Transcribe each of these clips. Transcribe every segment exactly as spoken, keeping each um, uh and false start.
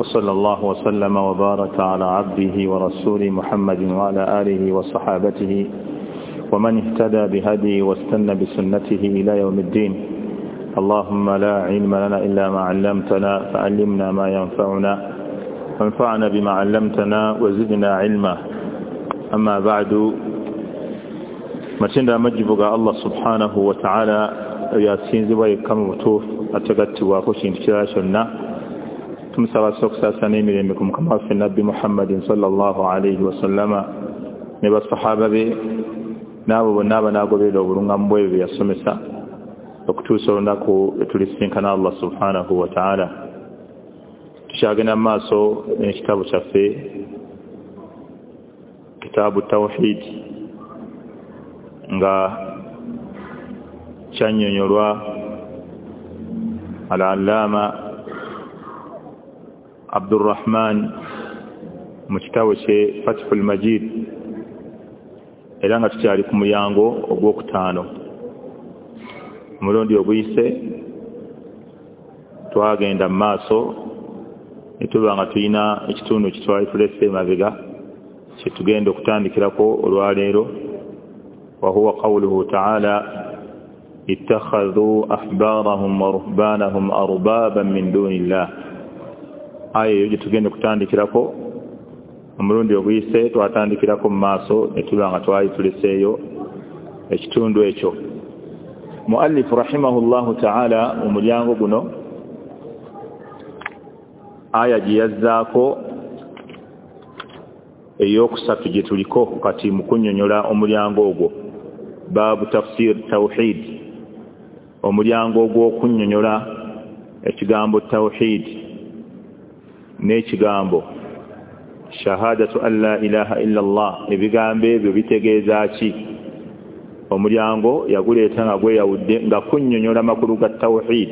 وصلى الله وسلم وبارك على عبده ورسوله محمد وعلى آله وصحابته ومن اهتدى بهديه واستنى بسنته إلى يوم الدين. اللهم لا علم لنا إلا ما علمتنا فعلمنا ما ينفعنا وانفعنا بما علمتنا وزدنا علما. أما بعد، matendo amajibu ga Allah subhanahu wa ta'ala yasinzibwa yekka mu butuufu atagattibwako kintu kirala kyonna. Tumusaba okusaasira n'emirembe ku mukama waffe Nabbi Muhammadin sallallahu alayhi wasallama ne basahaba be n'abo bonna abanaagoberera obulungamu bwebyo bye yasomesa okutuusa olunaku lwe tulisinkana Allah subhanahu wa ta'ala. Tukyagenda mu maaso n'ekitabo kyaffe Kitaabu Tawhid, nga kyannyonnyolwa Al-Allama Abdurrahman mu kitabo kye Fathul Majid, era nga tukyali ku mulyango ogwokutaano. Omulundi oguyise twagenda mu maaso ne tuba nga tulina ekitundu kitwali tulese emabega kye tugenda okutandikirako olwaleero, وهو قوله تعالى اتخذوا أحبارهم ورهبانهم أربابا من دون الله. Aya eyo tugenda okutandikirako. Omulundi oguyise twatandikirako mu maaso ne tuba nga twali tuleseeyo ekitundu ekyo. Muallifu rahimahullahu ta'ala mu mulyango guno aya gye yazzaako ey'okusatu gye tuliko kati mu kunnyonnyola omulyango ogwo, baabu tafsir tawhid, omulyango ogw'okunnyonnyola ekigambo tawhid n'ekigambo shahadatu an la ilaha illa Allah. Ebigambo ebyo bitegeeza ki? Omulyango yaguleeta nga gweyawudde nga kunnyonnyola makulu ga tawhid.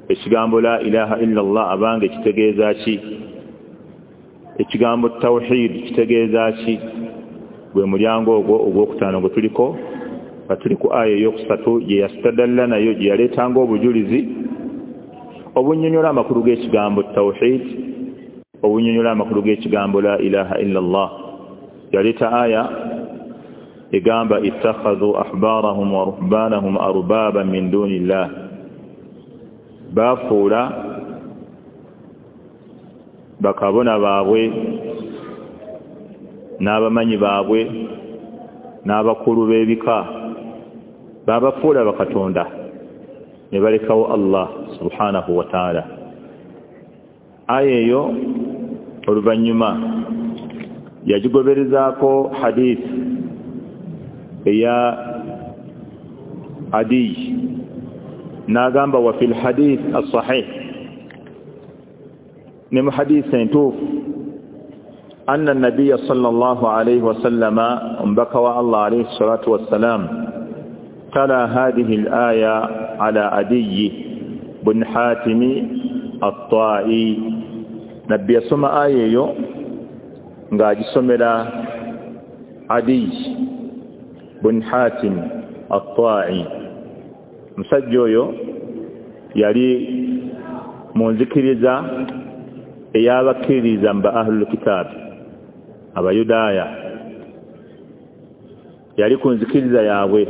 Ekigambo la ilaha illa Allah abange kitegeeza ki? Ekigambo tawhid kitegeeza ki? Gwe mulyango ogwo ogwokutaano gwe tuliko, nga tuli ku aya eyokusatu gye yastadalla nayo, gye yaleetanga obujulizi obunnyonnyola amakulu g'ekigambo tawhid, obunnyonnyola amakulu g'ekigambo la ilaha illa Allah. Yaleeta aya egamba ittakhadhu ahbarahum wa ruhbanahum arbaban min duni llah, bafuula bakabona baabwe n'abamanyi baabwe n'abakulu b'ebika, babafuula bakatonda ne balekawo Allah subhanahu wa ta'ala. Aya eyo oluvannyuma yagigoberezaako hadith eya Adiy, n'agamba wa fil hadith as-sahih, ne mu hadith entuufu, anna nabiyya sallallahu alayhi wasallama, omubaka wa Allah alayhi salatu wassalam, tala hadhihi al-aya ala Adiy bin Hatim at-Ta'i. Nabbi yasoma aya eyo ng'agisomera Adiy bin Hatim at-Ta'i. Musajja oyo yali mu nzikiriza ey'abakkiririza mu ba ahlul kitab, abayudaaya. Yali ku nzikiriza yaabwe.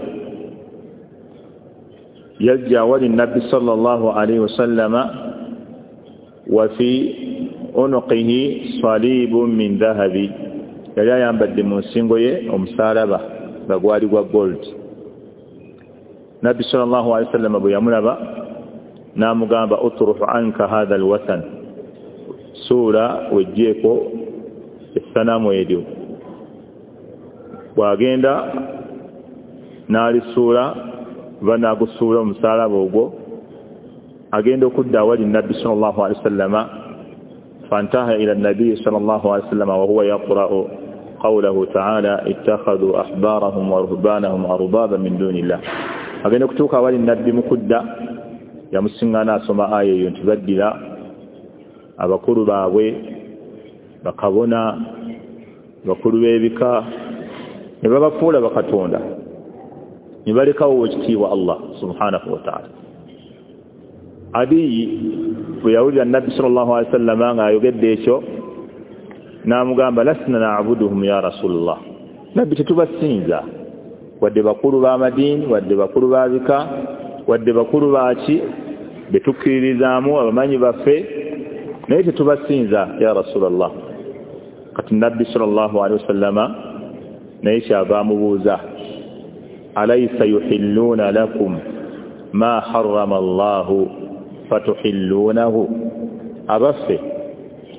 Yajja awali nabbi sallallahu alayhi wasallama wa fi unuqihi salibun min dhahabi, yali ayambadde mu nsingo ye omusaalaba nga gwali gwa gold. Nabbi sallallahu alayhi wasallama bwe yamulaba n'amugamba utruhu anka hadha alwathan, suula wejjeeko essanamu eryo. Bw'agenda n'alisuula oba n'agusuula omusaalaba ogwo, agenda okudda awali nabbi sallallahu alayhi wasallama. Fantaha ila nabiyi sallallahu alayhi wasallama wa huwa yaqra'u qawlahu ta'ala ittakhadhu ahbarahum wa ruhbanahum arbaban min dunillah. Agenda okutuuka awali nabbi mu kudda, yamusiŋŋaana asoma aya eyo nti baddira abakulu baabwe, bakabona, bakulu b'ebika, ne babafuula bakatonda ne balekawo ekitiibwa Allah subhanahu wa ta'ala. Adiyi bwe yawulira Nabbi sallallahu alaihi wasallam nga ayogedde ekyo, n'amugamba lasna na'buduhum ya Rasulullah, Nabbi tetubasinza, wadde bakulu b'amadiini, wadde bakulu ba bika, wadde bakulu baaki betukkiririzaamu abamanyi baffe, naye tetubasinza ya Rasulullah. Kati Nabbi sallallahu alaihi wasallama naye kyava amubuuza, alaysa yuhilluuna lakum ma harrama Allahu fatuhilluunahu, abaffe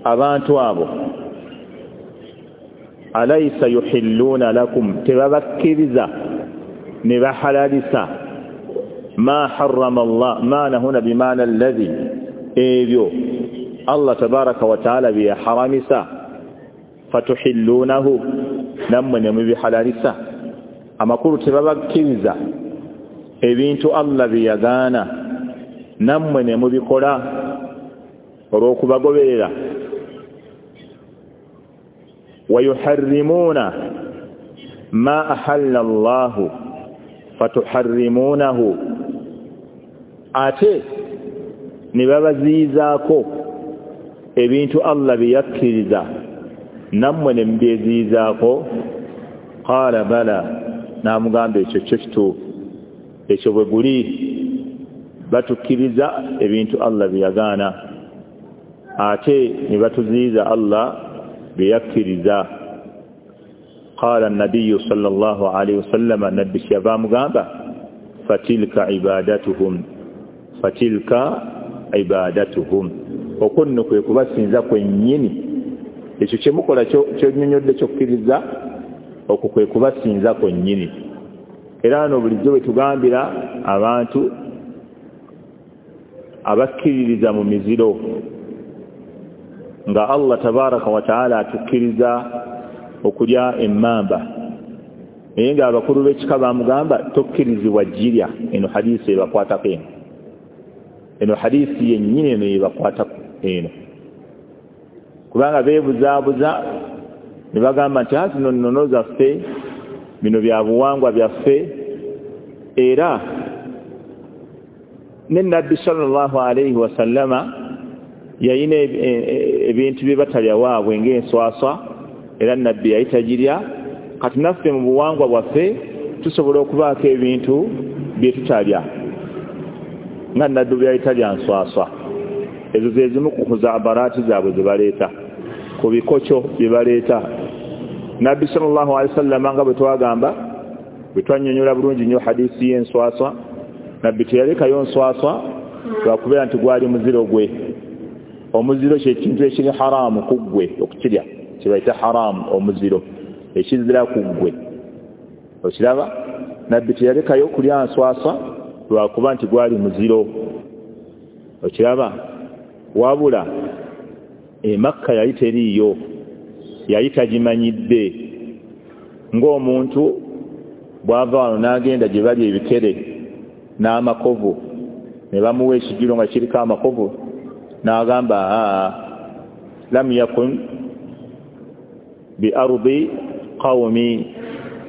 abantu abo alaysa yuhilluuna lakum, tebabakkiriza ne bahalalisa ma harrama Allah, maana huna bimaana alladhi, ebyo Allah tabaraka wa taala byeyaharamisa, fatuhilluunahu, nammwe ne mubihalalisa. Amakulu tebabakkiriza ebintu Allah byeyagaana nammwe ne mubikola olw'okubagoberera. Wayuharrimuuna ma ahalla Allahu fatuharrimuunahu, ate ne babaziyizaako ebintu Allah bye yakkiriza nammwe ne mubyeziyizaako. Qaala bala, n'amugamba ekyo kyo kituufu, ekyo bwe guli batukkiriza ebintu Allah bye yagaana ate ne batuziyiza Allah bye yakkiriza. Qaala an-nabiyyu sallallahu alayhi wasallam, nabbi kyava amugamba fatilka ibadatuhum, fatilka ibadatuhum, okwo nno kwe kubasinza kwennyini. Ekyo kyemukola kyonnyonnyodde kyokkiriza, okwo kwe kubasinza kwennyini. Era no bulijjo bwe tugambira abantu abakkiririza mu miziro nga Allah tabaraka wa taala atukkiriza okulya emmamba, naye nga abakulu b'ekika bamugamba tokkirizibwa girya. Eno hadiisi ebakwatako eno, eno hadiisi yennyini eno ebakwatako eno, kubanga beebuzaabuza ne bagamba nti zino nnono zaffe, bino bya buwangwa byaffe. Era ne Nabbi sallallahu alaihi wasallama yayina ebintu bye batalya waabwe ng'enswaswa, era Nabbi yali tagirya. Kati naffe mu buwangwa bwaffe tusobola okubaako ebintu bye tutalya nga Nabbi bwe yali talya nswaswa. Ezo ze zimu ku khuzaabaraati zaabwe ze baleeta, ku bikokyo bye baleeta. Nabbi sallallahu alaihi wasallam nga bwe twagamba, bwe twannyonnyola bulungi nnyo hadiisi y'enswaswa, Nabbi teyalekayo nswaswa lwakubeera nti gwali muziro gwe. Omuziro kye kintu ekiri haramu ku ggwe okukirya, kye bayita haramu, omuziro ekizira ku ggwe. Okiraba, Nabbi teyalekayo kulya nswaswa lwakuba nti gwali muziro. Okiraba, wabula e Makka yali teriiyo, yali tagimanyidde. Ng'omuntu bw'ava wano n'agenda gye bali ebikere n'amakovu, ne bamuwa ekijjulo nga kiriko amakovu, n'agamba aa lam yakun bi ardi qawmi,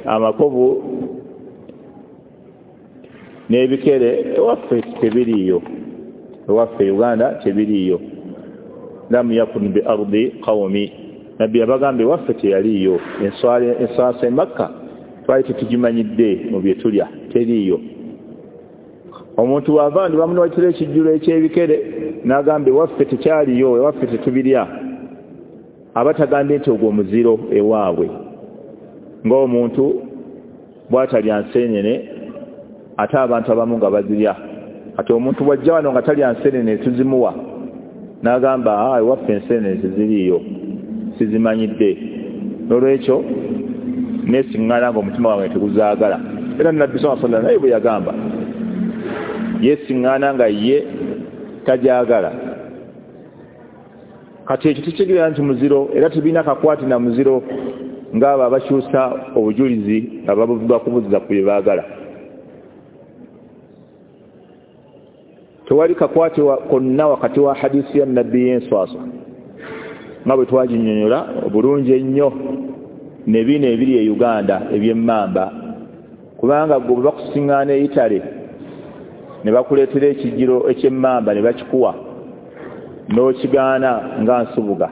amakovu n'ebikere ewaffe tebiriiyo, ewaffe Uganda tebiriiyo. Lam yakun bi ardi qawmi, Nabbi yabagamba ewaffe teyaliiyo, enswasa e Makka twali tetugimanyidde mu bye tulya, teriiyo. Omuntu wava ndi bamuwatira ekijjulo eky'ebikere n'agamba ewaffe tekyaliyo, ewaffe tetubirya, aba tagambye nti ogwo muziro ewaabwe. Ng'omuntu bw'atalya nseenene ate abantu abamu nga bazirya, ate omuntu bw'ajja wano nga talya nseenene tuzimuwa, n'agamba aa ewaffe enseenene teziriiyo, sizimanyidde, n'olwekyo neesiŋŋaana ng'omutima wange teguzaagala. Era Nabbi sallallahu alaihi wasallam naye bwe yagamba yeesiŋŋaana nga ye tagyagala. Kati ekyo tekitegeeza nti muziro, era tebirina kakwate na muziro ng'abo abakyusa obujulizi nga babuvuga kubuzza ku bye baagala. Tewali kakwate konna wakati wa hadiisi ya Nabbi y'enswaswa nga bwe twaginnyonnyola obulungi ennyo ne bino ebiri e Uganda eby'emmamba, kubanga gwe bwe bakusiŋŋaana e Italy Ne bakuleetera ekijiro eky'emmamba ne bakikuwa n'okigaana nga nsubuga,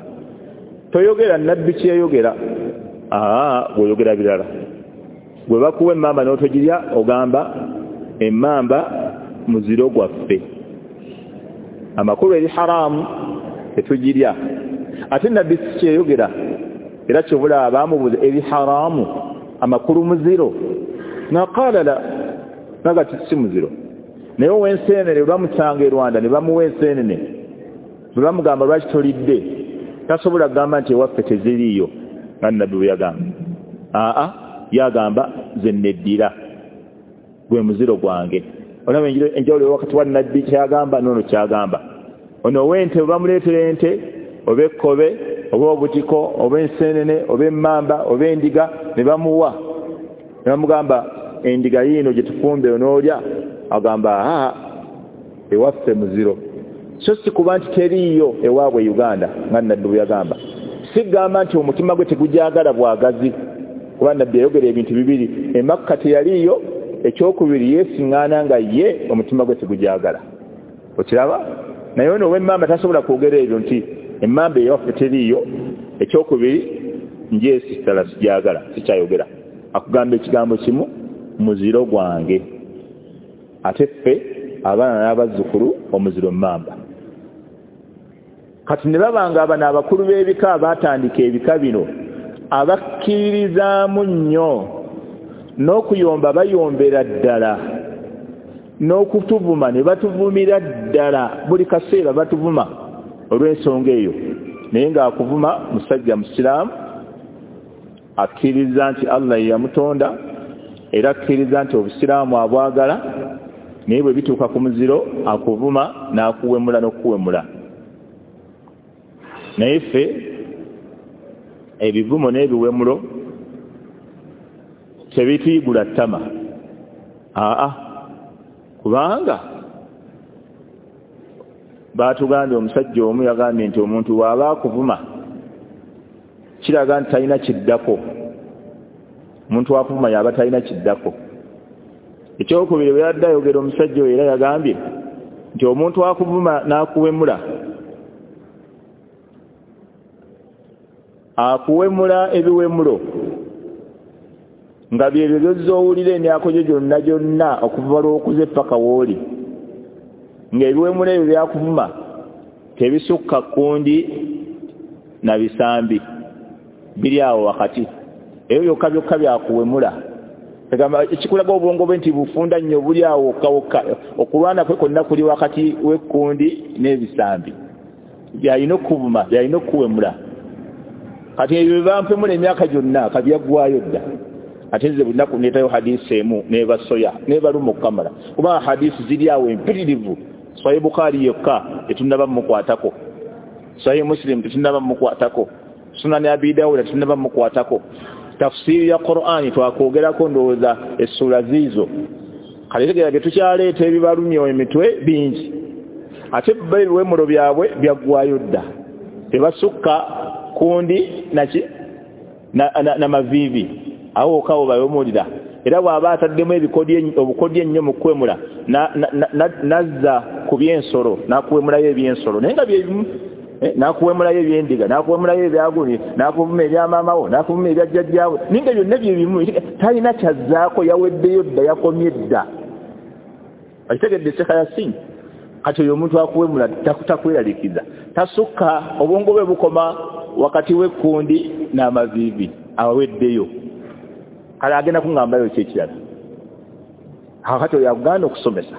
toyogera nabbi kyeyayogera. Aa, bw'oyogera birala. Bwe bakuwa emmamba n'otogirya ogamba emmamba muziro gwaffe, amakulu eri haramu tetugirya. Ate nabbi si kyeyayogera, era kyobula bamubuuza eri haramu amakulu muziro, naqala la, naga si muziro. Naye ow'enseenene bamusanga e Rwanda ne bamuwa enseenene, bwe bamugamba lwaki tolidde, tasobola kugamba nti ewaffe teziriiyo nga nabbi bwe yagamba. Aa, yagamba ze neddira gwe muziro gwange. Olaba enjawulo wakati wa nabbi kyagamba n'ono kyagamba. Ono ow'ente bwe bamuleetera ente oba ekkobe oba obutiko oba enseenene oba emmamba oba endiga ne bamuwa, ne bamugamba endiga yiino gye tufumbe onoolya, agamba aa, ewaffe muziro. So si kuba nti teriiyo ewaabwe Uganda nga nabbi bwe yagamba. Sigamba nti omutima gwe tegujagala bwagazi, kuba nabbi yayogera ebintu bibiri, e Makka teyaliiyo, ekyokubiri yeesiŋŋaana nga ye omutima gwe tegujagala. Okiraba? Naye ono ow'emmamba tasobola kwogera ebyo nti emmamba eyawaffe teriiyo, ekyokubiri njeesitala sijagala, sikyayogera. Akugamba ekigambo kimu, muziro gwange. Ate ffe abaana n'abazzukulu omuziro mmamba. Kati ne babanga abano abakulu b'ebika abaatandika ebika bino abakkiririzaamu nnyo n'okuyomba bayombera ddala, n'okutuvuma ne batuvumira ddala, buli kaseera batuvuma olw'ensonga eyo. Naye ng'akuvuma musajja musiraamu akkiriza nti Allah ye yamutonda, era akkiriza nti obusiraamu abwagala, naye bwe bituuka ku muziro akuvuma n'akuwemula n'okuwemula. Naye ffe ebivumo n'ebiwemulo tebituyigula ttama. Aa, kubanga baatugambye, omusajja omu yagambye nti omuntu bw'aba akuvuma kiraga nti talina kiddako. Omuntu akuvuma yaba talina kiddako. Ekyokubiri bwe yadde ayogera omusajja oyo era yagambye nti omuntu akuvuma n'akuwemula, akuwemula ebiwemulo nga byebyo by'ozza owulira emyaka gyo gyonna gyonna okuva lw'okuze paka w'oli, ng'ebiwemulo ebyo byakuvuma tebisukka kkundi na bisambi, biri awo wakati. Ebyo byokka byokka byakuwemula. Egamba ekikulaga obwongo bwe nti bufunda nnyo buli awo wokka wokka, okulwana kwe kwonna kuli wakati w'ekkundi n'ebisambi, byalina okuvuma, byalina okuwemula. Kati ebyo bye bampemula emyaka gyonna kabyaggwayo dda. Ate nze buli nnaku ndeetayo hadisi emu n'ebasoya n'ebaluma okukamala, kubanga hadisi ziri awo empitirivu. Sahih Bukhari yokka tetunnaba mmukwatako, Sahih Muslim tetunnaba mmukwatako, Sunan Abi Dawud tetunnaba mmukwatako, tafsiri ya Qur'ani twakwogerako ndowooza essuula ziizo. Kale tegeera bye tukyaleeta ebibalumya emitwe bingi, ate bo ebiwemulo byabwe byaggwayo dda, tebasukka kundi naki na maviivi, awo wokka wo bawemulira. Era bw'aba ataddemu obukodyo ennyo mu kuwemula nazza ku by'ensolo n'akuwemulayo eby'ensolo, naye nga byebimu, n'akuwemulayo ebyendiga, n'akuwemulayo ebyaguni, n'akuvuma ebyamaamawo, n'akuvuma ebya jjajjaawe, naye nga byonna byebimu, talina kyazzaako, yaweddeyo dda, yakomye dda. Okitegedde Sheikh Yasin? Kati oyo omuntu akuwemula takweraliikiriza, tasukka, obwongo bwe bukoma wakati w'ekkundi n'amaviivi, aweddeyo. Kale agenda kuŋŋambayo ki ekirala? Kati oyo akugaana okusomesa.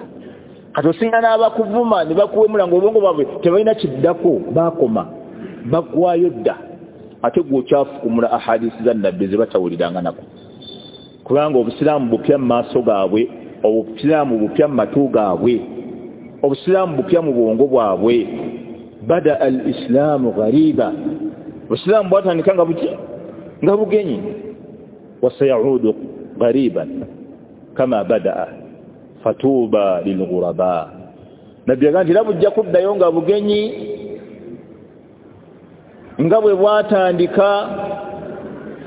Kati osinga n'abakuvuma ne bakuwemula ng'obwongo bwabwe tebalina kiddako, baakoma, baggwayo dda. Ate gwe okyafukumula ahadisi za nabbi ze batawuliranga nako, kubanga obusiraamu bupya mu maaso gaabwe, obusiraamu bupya mu matu gaabwe, obusiraamu bupya mu bwongo bwabwe. Bada al islaamu ghariba, obusiraamu bwatandika nga buki, nga bugenyi. Wasayaudu ghariban kama badaa fatuba lilghuraba. Nabbi yagamba nti era bujja kuddayo nga bugenyi nga bwe bwatandika,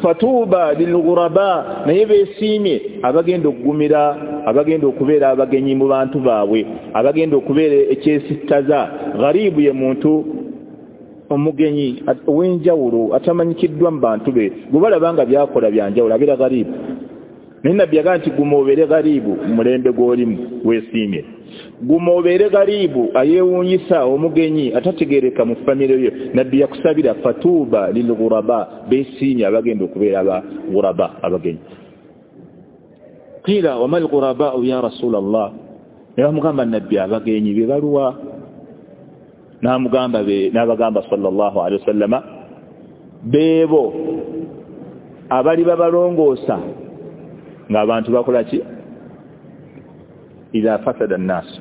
fatuba lilghuraba, naye beesiimye abagenda okugumira abagenda okubeera abagenyi mu bantu baabwe, abagenda okubeera ekyesittaza. Gharibu ye muntu omugenyi ow'enjawulo atamanyikiddwa mu bantu be, gwe balaba nga byakola byanjawulo, abeera gharibu. Naye Nabbi yagamba nti guma obeere gharibu mu mulembe gw'olimu weesiimye, guma obeere gharibu ayeewuunyisa omugenyi atategeereka mu famire yo. Nabbi yakusabira fatuuba lilghuraba, beesiimye abagenda okubeera aba ghuraba, abagenyi. Qila wama alghurabau ya Rasulallah, ne bamugamba Nabbi abagenyi be baluwa? N'amugamba n'abagamba sallallahu alaihi wasallama beebo abali babalongoosa ng'abantu bakola ki? Idha fasada nnaasu,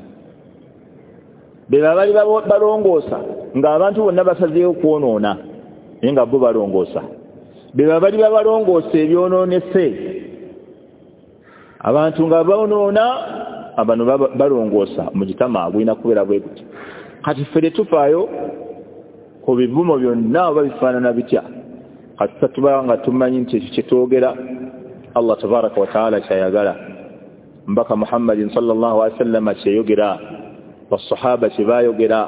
be abali balongoosa ng'abantu bonna basazeewo kwonoona naye nga bo balongoosa, be abali babalongoosa ebyonoonese. Abantu nga bonoona abano balongoosa, mujitama gulina kubeera bwe guti. Kati ffe tetufaayo ku bivumo byonna oba bifaanana bitya, kati tuba nga tumanyi nti ekyo kyetwogera Allah tabaraka wa taala kyayagala, Mbaka Muhammadin sallallahu alaihi wasallam kyeyogera, basahaba kyebayogera.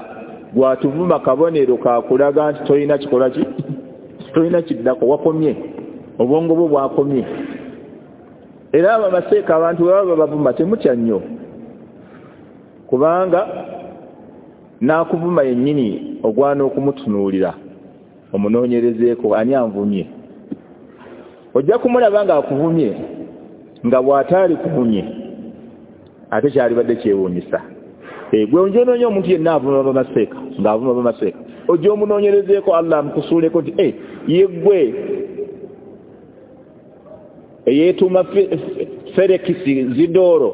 Gwatuvuma kabonero kakulaga nti tolina kikola ki, tolina kiddako, wakomye, obwongo bwo bwakomye. Era abo abaseeka abantu bwe baba babavuma temutya nnyo, kubanga n'akuvuma yennyini ogwana okumutunuulira omunoonyerezeeko ani anvumye. Ojja kumulaba ng'akuvumye nga bw'ataali kuvumye ate kyalibadde kyewuunyisa. Gwe onjonoonya omuntu yenna avuma bamaseeka ng'avuma bamaseeka, ojja omunoonyerezeeko Allah amukusuuleko nti e ye ggwe eyeetuuma Felix Zidoro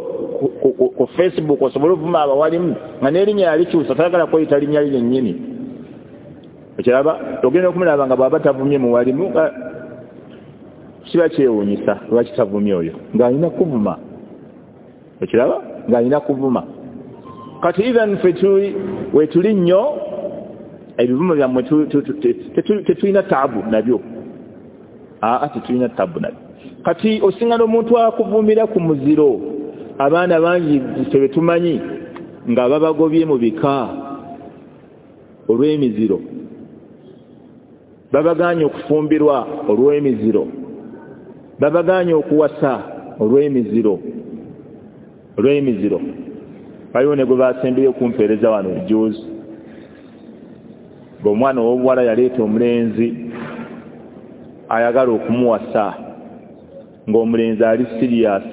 ku Facebook osobole ovuma abawalimu nga n'erinnya yalikyusa, tayagala kweyita linnya lye nnyini. Okiraba ogenda okumulaba nga bw'aba tavumye muwalimu kiba kyewuunyisa lwaki tavumye oyo ng'alina kuvuma. Okiraba ng'alina kuvuma. Kati even ffe wetuli nnyo ebivumo byammwe tetulina taabu nabyo, aa tetulina taabu nabyo. Kati osingana omuntu akuvumira ku muziro, abaana bangi ffe betumanyi nga babagobye mu bika olw'emiziro, babagaanye okufumbirwa olw'emiziro, babagaanye okuwasa olw'emiziro, olw'emiziro. Waliwo ne gwe basembyeyo okumpeereza wano juzi, ng'omwana ow'obuwala yaleeta omulenzi ayagala okumuwasa, ng'omulenzi ali serious,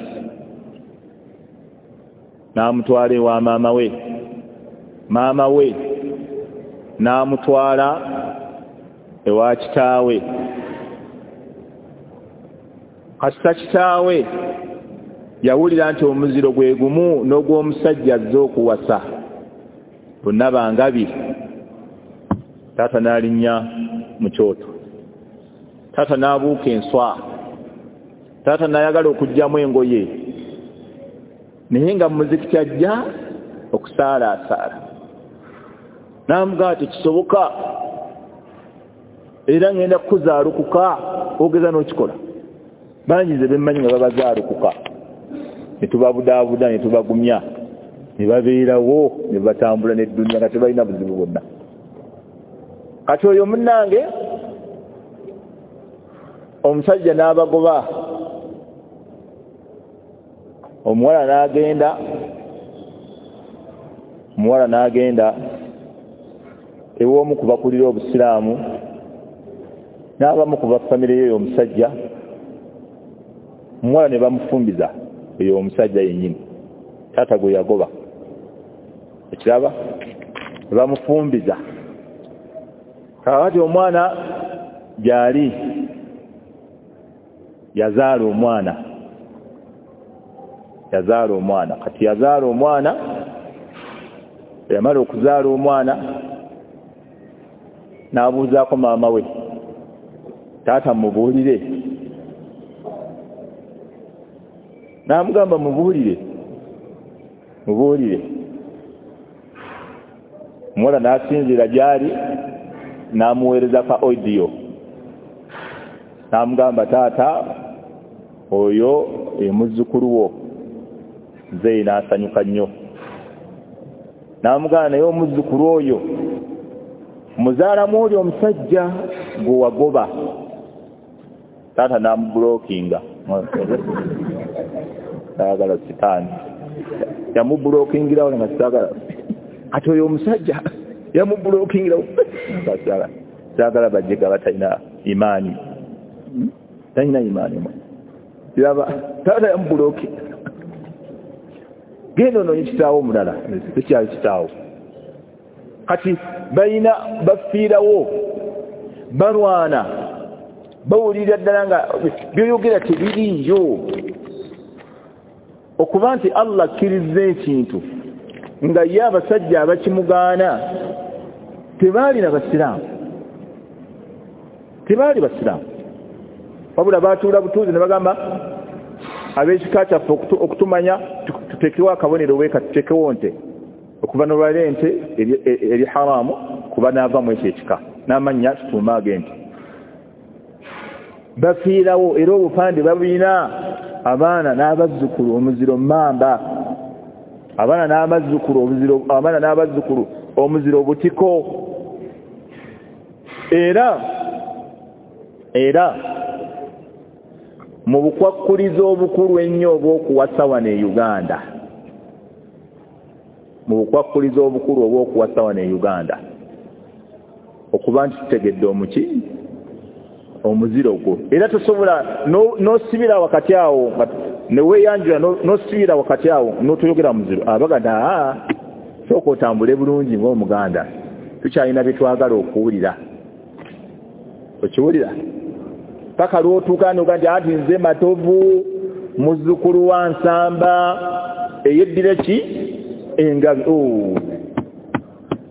n'amutwala ewa maama we, maama we n'amutwala ewa kitaawe. Kasita kitaawe yawulira nti omuziro gwe gumu n'ogw'omusajja azze okuwasa, bonna bangabi. Taata n'alinnya mu kyoto, taata n'abuuka enswa, taata n'ayagala okuggyamu engoye, naye nga muzikiti ajja okusaalaasaala. N'amugamba tekisoboka, era ngenda kukuzaalukuka ogeza n'okikola. Bangi nze bemmanyi nga babazaalukuka, ne tubabudaabuda ne tubagumya ne babeerawo ne batambula n'edduniya nga tebalina buzibu bwonna. Kati oyo munnange omusajja n'abagoba, omuwala n'agenda, omuwala n'agenda ew'omu ku bakulira Obusiraamu n'abamu ku bafamire y'oyo omusajja, omuwala ne bamufumbiza oyo omusajja yennyini taata gwe yagoba. Ekiraba ne bamufumbiza. Kaakati omwana gy'ali yazaala omwana, yazaala omwana. Kati yazaala omwana, yamala okuzaala omwana n'abuuzaako maama we, taata mubuulire. N'amugamba mubuulire, mubuulire. Omuwala n'asinziira gy'ali n'amuweereza ka audio, n'amugamba taata oyo ye muzzukulu wo, Muzeeyi n'asanyuka nnyo n'amugamba naye omuzzukulu oyo muzaalamu oli omusajja gwe wagoba. Taata n'amubulokinga, saagala sitaani yamubulokingirawo nga saagala ate oyo omusajja yamubulokingirawo saagala bajjega batalina imaani, talina imaani yaba taata yamubulokinga genda onoonye kitaawo omulala tekyali kitaawo. Kati balina bafiirawo balwana bawulira ddala nga byoyogera tebiriiyo. Okuba nti Allah akkiriza ekintu nga ye abasajja abakimugaana tebaalina basiraamu, tebaali basiraamu, wabula baatuula butuuzi ne bagamba ab'ekika kyaffe okutumanya tuteekewo akabonero weeka tuteekewo nte okuva n'olwala ente eri haramu kuba naavamu ekyo ekika n'amannya tutuume ag'ente. Bafiirawo era obupande babulina abaana n'abazzukulu omuziro mamba, abaana n'abazzukulu omuziro, abaana n'abazzukulu omuziro butiko. Era era mu bukwakkulizo obukulu ennyo obw'okuwasa wano e Uganda, mu bukwakkulizo obukulu obw'okuwasa wano e Uganda okuba nti tutegedde omuki omuziro gwo, era tosobola n'osibira wakati awo ne weeyanjula n'osibira wakati awo n'otoyogera muziro abaganda aa sooka otambule bulungi ng'omuganda tukyalina bye twagala okuwulira. Okiwulira paka lw'otuuka n'oga nti ati nze Matovu muzzukulu wa Nsamba eyeddira ki engabi,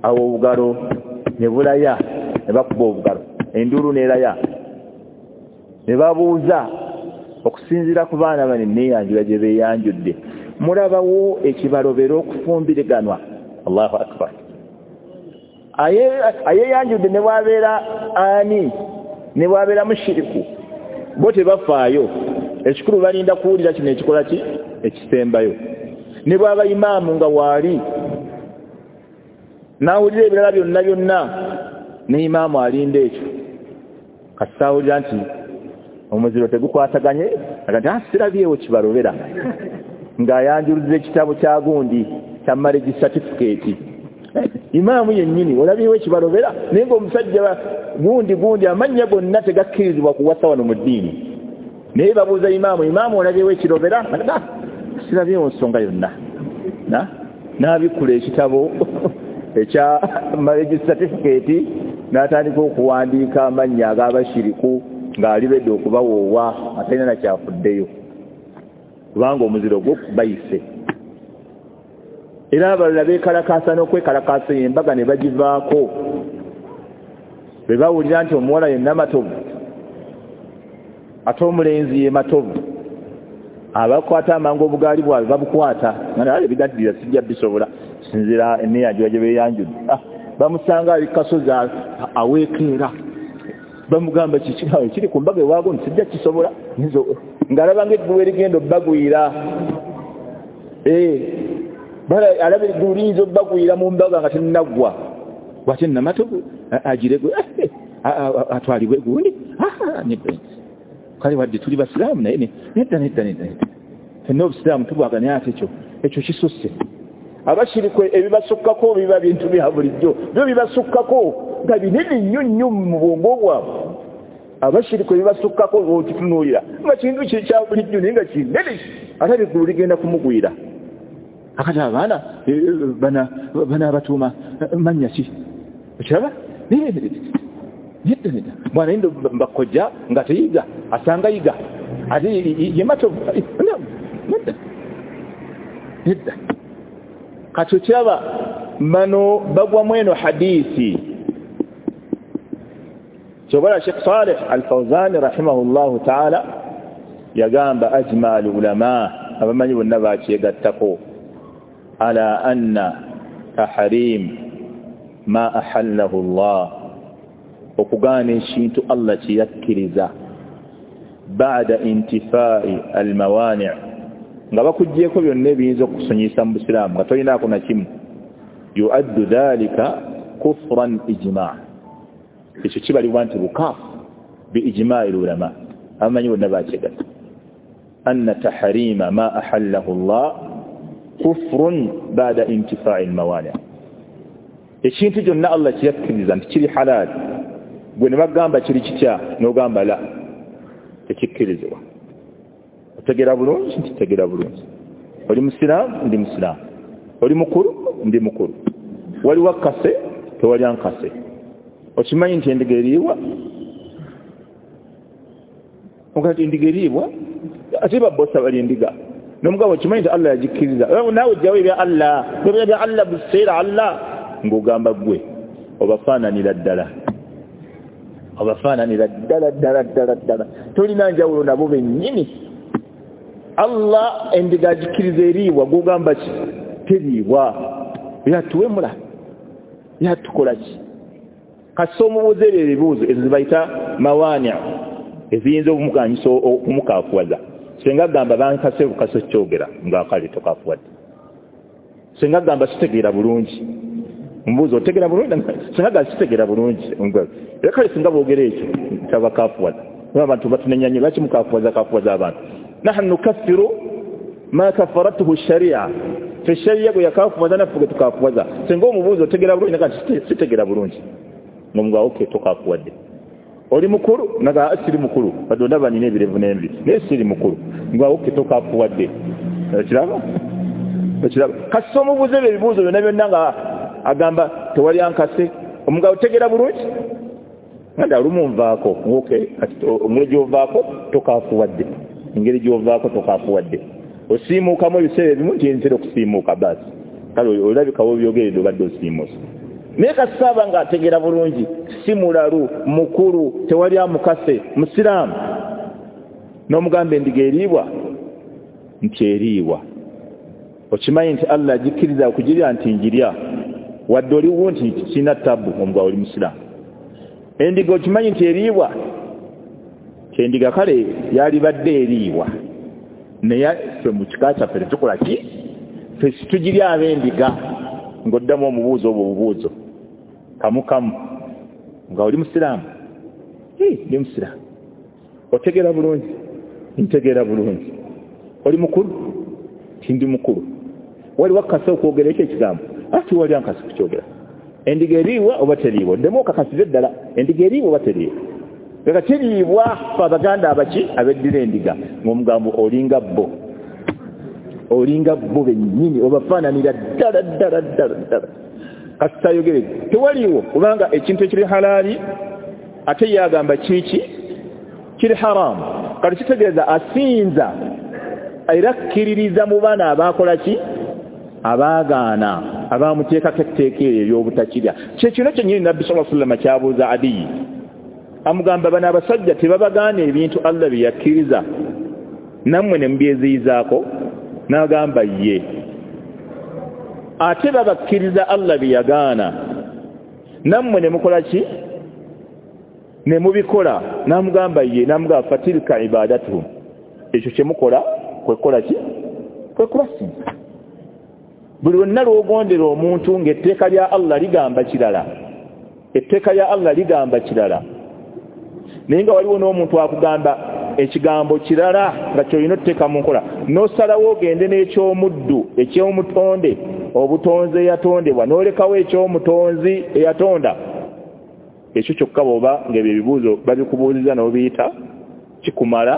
awo obugalo ne bulaya ne bakuba obugalo enduulu n'eraya ne babuuza okusinziira ku baana bano enneeyanjula gye beeyanjudde mulabawo ekibalobera okufumbiriganwa. Allahu akbar. Ayeeyanjudde ne bw'abeera ani ne bw'abeera mushiriku bo tebafaayo, ekikulu balinda kuwulira kino ekikola ki ekisembayo. Ne bw'aba imaamu nga waali n'awulira ebirala byonna byonna ne imaamu alinda ekyo kasita awulira nti omuziro tegukwataganye agamba nti sirabyewo kibalobera ng'ayanjuluza ekitabo kya gundi kya marriage certificate. Imaamu yennyini olabyewo ekibalobera naye ng'omusajja gundi gundi amannya gonna tegakkirizibwa kuwasa wano mu ddiini, naye babuuza imaamu, imaamu olabyewo ekirobera? Sirabyewo nsonga yonna. N'abikkula ekitabo ekya marriage certificate n'atandika okuwandiika amannya ag'abashiriku ng'alibedde okubawoowa atalina nakyafuddeyo kubanga omuziro gwo bayise. Era abalala beekalakaasa n'okwekalakaasa embaga ne bagivaako bwe bawulira nti omuwala yenna Matovu ate omulenzi ye Matovu, abakwata amangu obugaali bwabwe babukwata nga ebigaddira sijja bisobola sinzira enneeyanjula gye beeyanjudde. Bamusanga ali kasozi aweekeera bamugamba kiki kiri ku mbaga ewaago nti sijja kisobola ng'alaba ng'eggulu erigenda obbagwira, alaba eggulu liyinza obbagwira mu mbaga nga tennaggwa bw'ate Namatovu agire atwalibwe gundi kale wadde tuli basiraamu naye nedda nedda nedda fenna obusiraamu tubwaga naye ate ekyo ekyo kisusse. Abashiriku ebibasukkako biba bintu bya bulijjo byo bibasukkako nga binene nnyo nnyo mu bwongo bwabwe. Abashiriku ebibasukkako okitunuulira nga kintu kya bulijjo naye nga kinene ate eggulu ligenda kumugwira. Akati abaana banaabatuuma mannya ki okiraba nedda nedda mwana yindo mbakojja nga teyiga asanga yiga ate ye Matovu nedda nedda. Kati okiraba bano bagwa mweno hadithi. Kyobala Sheikh Saleh Al-Fawzan rahimahullahu ta'ala yagamba ajma al-ulama abamanyi bonna bakyegattako ala anna tahrim ma ahallahu Allah, okugaana ekintu Allah kye yakkiriza ba'da intifai al-mawani' Nga bakuggyeko byonna ebiyinza okukusonyiyisa mu busiraamu nga tolinaako na kimu, yuaddu dhalika kufran ijma', ekyo kibalibwa nti bukaafu bi ijma'i ulama, abamanyi bonna bakyegatta anna tahrima ma ahallahu Allah kufrun ba'da intifa'i al-mawani'. Ekintu kyonna Allah kyeyakkiriza nti kiri halal, gwe ne bagamba kiri kitya n'ogamba la, tekikkirizibwa. Otegeera bulungi nti tegeera bulungi. Oli musiraamu, ndi musiraamu. Oli mukulu, ndi mukulu. Waliwo akase, tewali ankase. Okimanyi nti endiga eriibwa? Ogati endiga eriibwa? Ate babosa bali endiga. N'omugabo okimanyi nti Allah yagikkiriza. Naawe ojjawo ebya Allah, ebya bya Allah buseera Allah, ng'ogamba ggwe obafaananira ddala. Obafaananira ddala ddala ddala ddala. Tolina njawulo nabo bennyini. Allah endiga agikkiriza eriibwa, gw'ogamba ki? Teriibwa. Yatuwemula. Yatukola ki? Kasita omubuuza ebyo ebibuuzo, ezo ze bayita mawani' eziyinza okumuganyisa okumukaafuwaza. Singa agamba bankase bukase kyogera nga kale tokafuwadde. Singa agamba sitegeera bulungi, mbuuza otegeera bulungi? Singa agamba sitegeera bulungi, era kale singa boogera ekyo tabakaafuwaza. Abantu batunenya nnyo, lwaki mukaafuwaza kaafuwaza abantu? Nahnu nukaffiru ma kafaratuhu sharia, fe sharia gwe yakaafuwaza naffe gwe tukaafuwaza. Singa omubuuza otegeera bulungi, naga sitegeera bulungi, ng'omugamba okay tokaafuwadde. Oli mukulu? Naga siri mukulu, badde ondaba nina ebirevu n'envi, naye siri mukulu. Nga okay tokaafuwadde. Okiraba? Okiraba? Kasita omubuuza ebyo ebibuuzo byonna byonna nga agamba tewali ankase, omugabo otegeera bulungi? Nga olumu nvaako, okay engeri gy'ovaako tokaafuwadde, engeri gy'ovaako tokaafuwadde. Osiimuukamu ebiseera ebimu nti ntera okusiimuuka baasi, kale olabika w'obyogeredde obadde osiimuuse. Naye kasita aba ng'ategeera bulungi, si mulalu, mukulu, tewali amukase, musiraamu, n'omugamba endiga eriibwa nti eriibwa. Okimanyi nti Allah agikkiriza okugirya nti njirya, wadde oliwo nti kirina tabu, omugabo oli musiraamu. Endiga okimanyi nti eriibwa, endiga kale yalibadde eriibwa, naye ffe mu kika kyaffe tetukola ki? Ffe situgirya ab'endiga. Ng'oddamu omubuuzo obwo obubuuzo kamu kamu, nga oli musiraamu? Ndi musiraamu. Otegeera bulungi? Ntegeera bulungi. Oli mukulu? Ndi mukulu. Waliwo akase okwogera ekyo ekigambo? Ati wali ankase kukyogera. Endiga eriibwa oba teriibwa? Oddemu okakasize ddala, endiga eriibwa oba teriibwa? Leka teriibwa ffe Abaganda abaki abeddira endiga, ng'omugambo olinga bo, olinga bo bennyini, obafaananira ddala ddala ddala ddala. Kasita ayogere tewaliiwo, kubanga ekintu ekiri halaali ate ye agamba kiki kiri haramu. Kati kitegeeza asinza era akkiririza mu baana abaakola ki? Abaagaana, abamuteekako etteeka eryo ery'obutakirya. Kye kino kyennyini Nabbi sallallahu alaihi wasallam kyabuuza Adiyi, amugamba bano abasajja tebabagaana ebintu Allah bye yakkiriza, nammwe ne mubyeziyizaako? N'agamba ye. Ate babakkiriza Allah bye yagaana, nammwe ne mukola ki? Ne mubikola. N'amugamba ye, n'amugamba fatilka ibadatuhum, ekyo kye mukola kwekola ki? Kwe kubasinza. Buli lwonna lw'ogondera omuntu ng'etteeka lya Allah ligamba kirala, etteeka lya Allah ligamba kirala, naye nga waliwo n'omuntu akugamba ekigambo kirala nga ky'olina otuteeka mu nkola, n'osalawo ogende n'eky'omuddu, eky'omutonde, obutonzi eyatondebwa, n'olekawo eky'omutonzi eyatonda. Ekyo kyokka bw'oba ng'ebyo ebibuuzo babikubuuziza n'obiyita, kikumala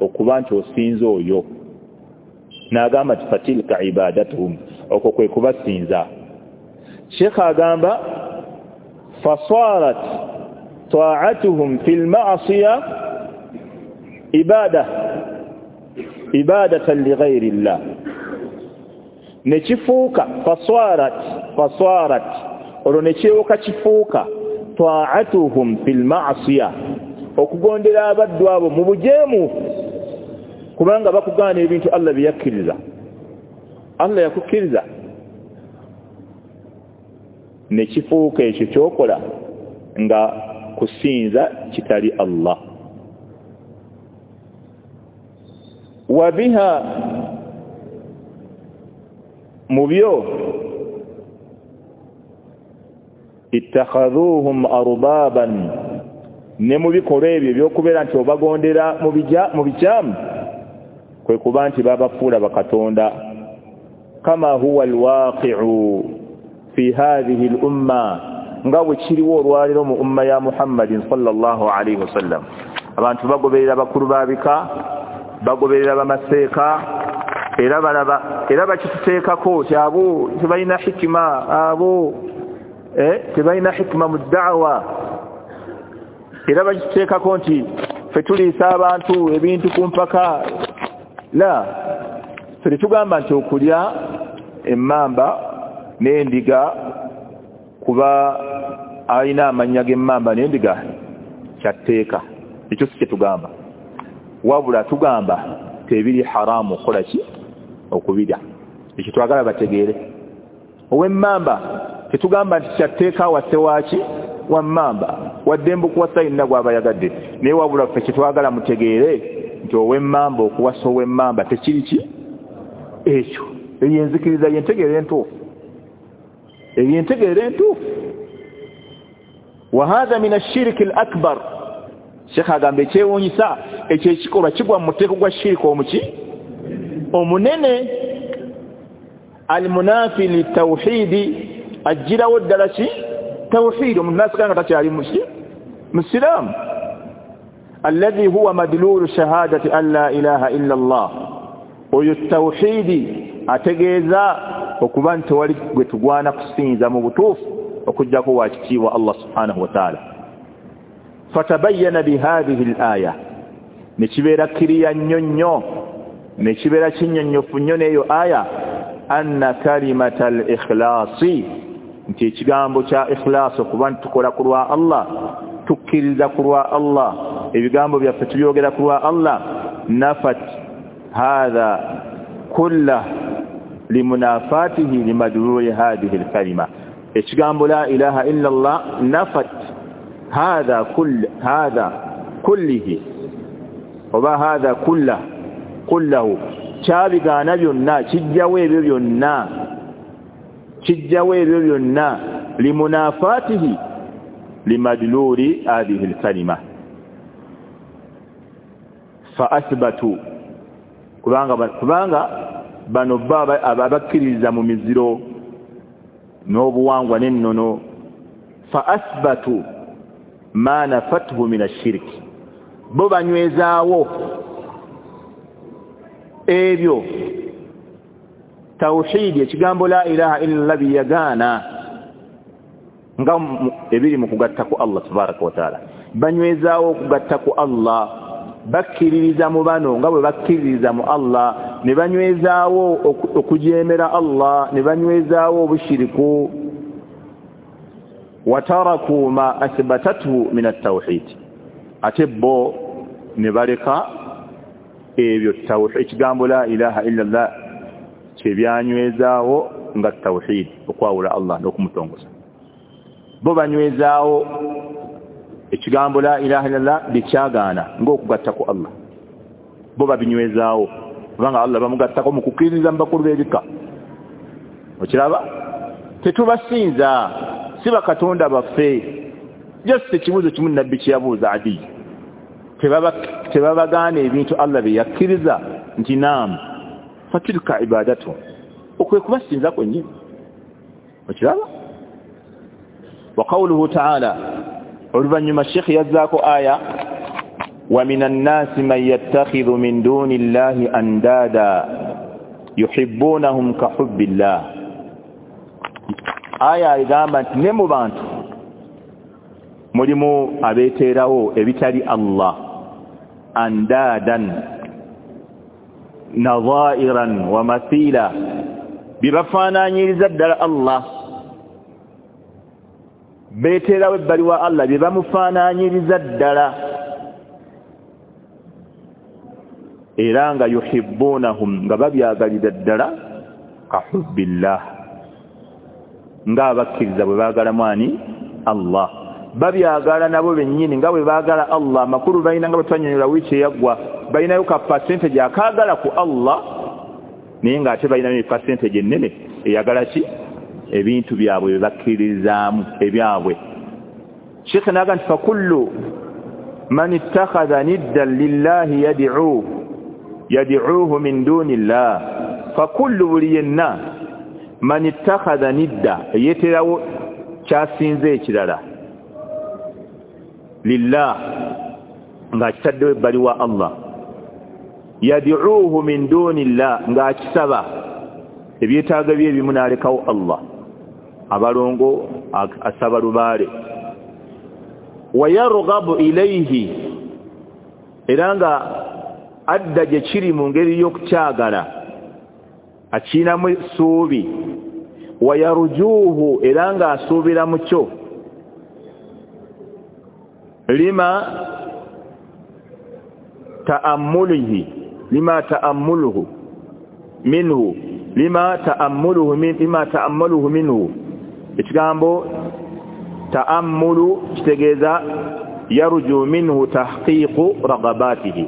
okuba nti osinza oyo. N'agamba nti fatilka ibadatuhum, okwo kwe kubasinza. Sheikh agamba fasarat ta'atuhum fil ma'siya ibada ibadatan li ghayri llah, ne kifuuka fasarat fasarat olwo ne kyewuka kifuuka ta'atuhum fil ma'siya, okugondera abaddu abo mu bujeemu, kubanga bakugaana ebintu Allah bye yakkiriza. Allah yakukkiriza, ne kifuuka ekyo ky'okola nga kusinza kitali Allah. Wa biha Mu byo ittakhadhuhum arbaban, ne mu bikolwa ebyo ebyokubeera nti obagondera mu bikyamu kwe kuba nti babafuula bakatonda. Kama huwa alwaqi'u fi hadhihi al-umma, nga bwe kiriwo olwaleero mu umma ya Muhammadin sallallahu alayhi wasallam. Abantu bagoberera bakulu babika, bagoberera bamaseeka, era balaba era bakituteekako nti abo tebalina hikima, abo eh tebalina hikima mu da'wa. Era bakituteekako nti ffe tuliisa abantu ebintu ku mpaka. La, ffe tugamba nti okulya emmamba n'endiga kuba alina amannya g'emmamba n'endiga kyatteeka, ekyo si kye tugamba. Wabula tugamba tebiri haramu okukola ki? Okubirya. Ekyo twagala bategeere. Ow'emmamba tetugamba nti kyatteeka wase waaki wa mmamba, waddembe okuwasa yenna gw'aba yagadde, naye wabula ffe kyetwagala mutegeere nti ow'emmamba okuwasa ow'emmamba tekiri ki ekyo. Eyo enzikiriza yentegeera entuufu, eyo entegeera entuufu. Wa hadha min ashiriki al-akbar. Sheikh agamba ekyewuunyisa ekyo ekikolwa kigwa mu muteeko gwa shiriki omuki omunene, almunafi litawhidi, ajjirawo ddala ki tawhidi, omuntu n'asigala nga takyali muki musiraamu. Alladhi huwa madlulu shahadati an la ilaha illa Allah, oyo tawhidi ategeeza okuba nti tewali gwe tugwana kusinza mu butuufu okuggyako wa kitiibwa Allah subhanahu wa ta'ala. Fatabayyana bihadhihi al-aya, ne kibeera kiriya nnyo nnyo, ne kibeera kinnyonnyofu nnyo n'eyo aya, anna kalimata al-ikhlasi, nti ekigambo kya ikhlasi okuba nti tukola ku lwa Allah, tukkiriza ku lwa Allah, ebigambo byaffe tubyogera ku lwa Allah, nafat hadha kullah limunafatihi limadluli hadhihi al-kalima. Ekigambo la ilaha illa Allah nafat hadha kull hadha kullihi oba hadha kullah kullahu, kyabigaana byonna, kijjawo ebyo byonna, kijjawo ebyo byonna limunafatihi limadluli hadhihi al-kalima. Fa athbatu, kubanga kubanga bano baba abakkiririza mu miziro n'obuwangwa n'ennono. Fa athbatu ma nafathu min ash-shirki, bo banywezaawo ebyo tawhidi, ekigambo la ilaha illa Allah biyagaana nga ebiri mu kugatta ku Allah tabaraka wa taala. Banywezaawo okugatta ku Allah, bakkiririza mu bano nga bwe bakkiririza mu Allah, ne banywezaawo okujeemera Allah, ne banywezaawo obushiriku. Wataraku ma athbatathu min at-tawhid, ate bo ne baleka ebyo tawhid, ekigambo la ilaha illa Allah kyebyanywezaawo nga tawhid, okwawula Allah n'okumutongoza. Bo banywezaawo ekigambo la ilaha illa Allah bikyagaana ng'okugatta ku Allah, bo babinywezaawo kubanga Allah bamugattako mu kukkiririza mu bakulu b'ebika. Okiraba, tetubasinza, si bakatonda baffe. Just ekibuuzo kimu Nabbi kye yabuuza Adi, tebabagaana ebintu Allah bye yakkiriza nti naam, fatilka ibadatu, okwe kubasinza kwennyini. Okiraba. Wa qawluhu ta'ala, oluvannyuma Sheikh yazzaako aya wa minan nasi man yattakhidhu min duni llahi andada yuhibbunahum ka hubbillah. Aya egamba nti ne mu bantu mulimu abeeteerawo ebitali Allah, andadan nadhairan wa mathila, bibafaananyiriza ddala Allah, beeteerawo ebbali wa Allah bye bamufaananyiriza ddala, era nga yuhibbunahum, nga babyagalira ddala ka hubbillah, ng'abakkiriza bwe baagala mwani Allah, babyagala nabo bennyini nga bwe baagala Allah. Amakulu balina nga bwe twannyonnyola wiiki eyaggwa, balinayo ka percentage akaagala ku Allah, naye ng'ate balinayo percentage ennene Eyagala ki? Ebintu byabwe bye bakkirizaamu ebyabwe. Sheikh naga nti fakullu man ittakhadha niddan lillahi yad'uuhu yad'uuhu min duni llah. Fakullu buli yenna man ittakhadha nidda, yeeterawo kyasinze ekirala, lillah, ng'akitaddewo ebbali wa Allah, yad'uuhu min duni llah, ng'akisaba ebyetaago bye ebimu n'alekawo Allah. Abalongo asaba lubaale. Wayarghabu ilayhi, era nga adda gye kiri mu ngeri y'okukyagala, akiinamu essuubi. Wayarujuuhu, era nga asuubira mu kyo. Lima ta'ammulihi lima ta'ammuluhu minhu lima ta'ammuluhu min lima ta'ammaluhu minhu. Ekigambo ta'ammulu kitegeeza yarju minhu tahqiqu ragabatihi,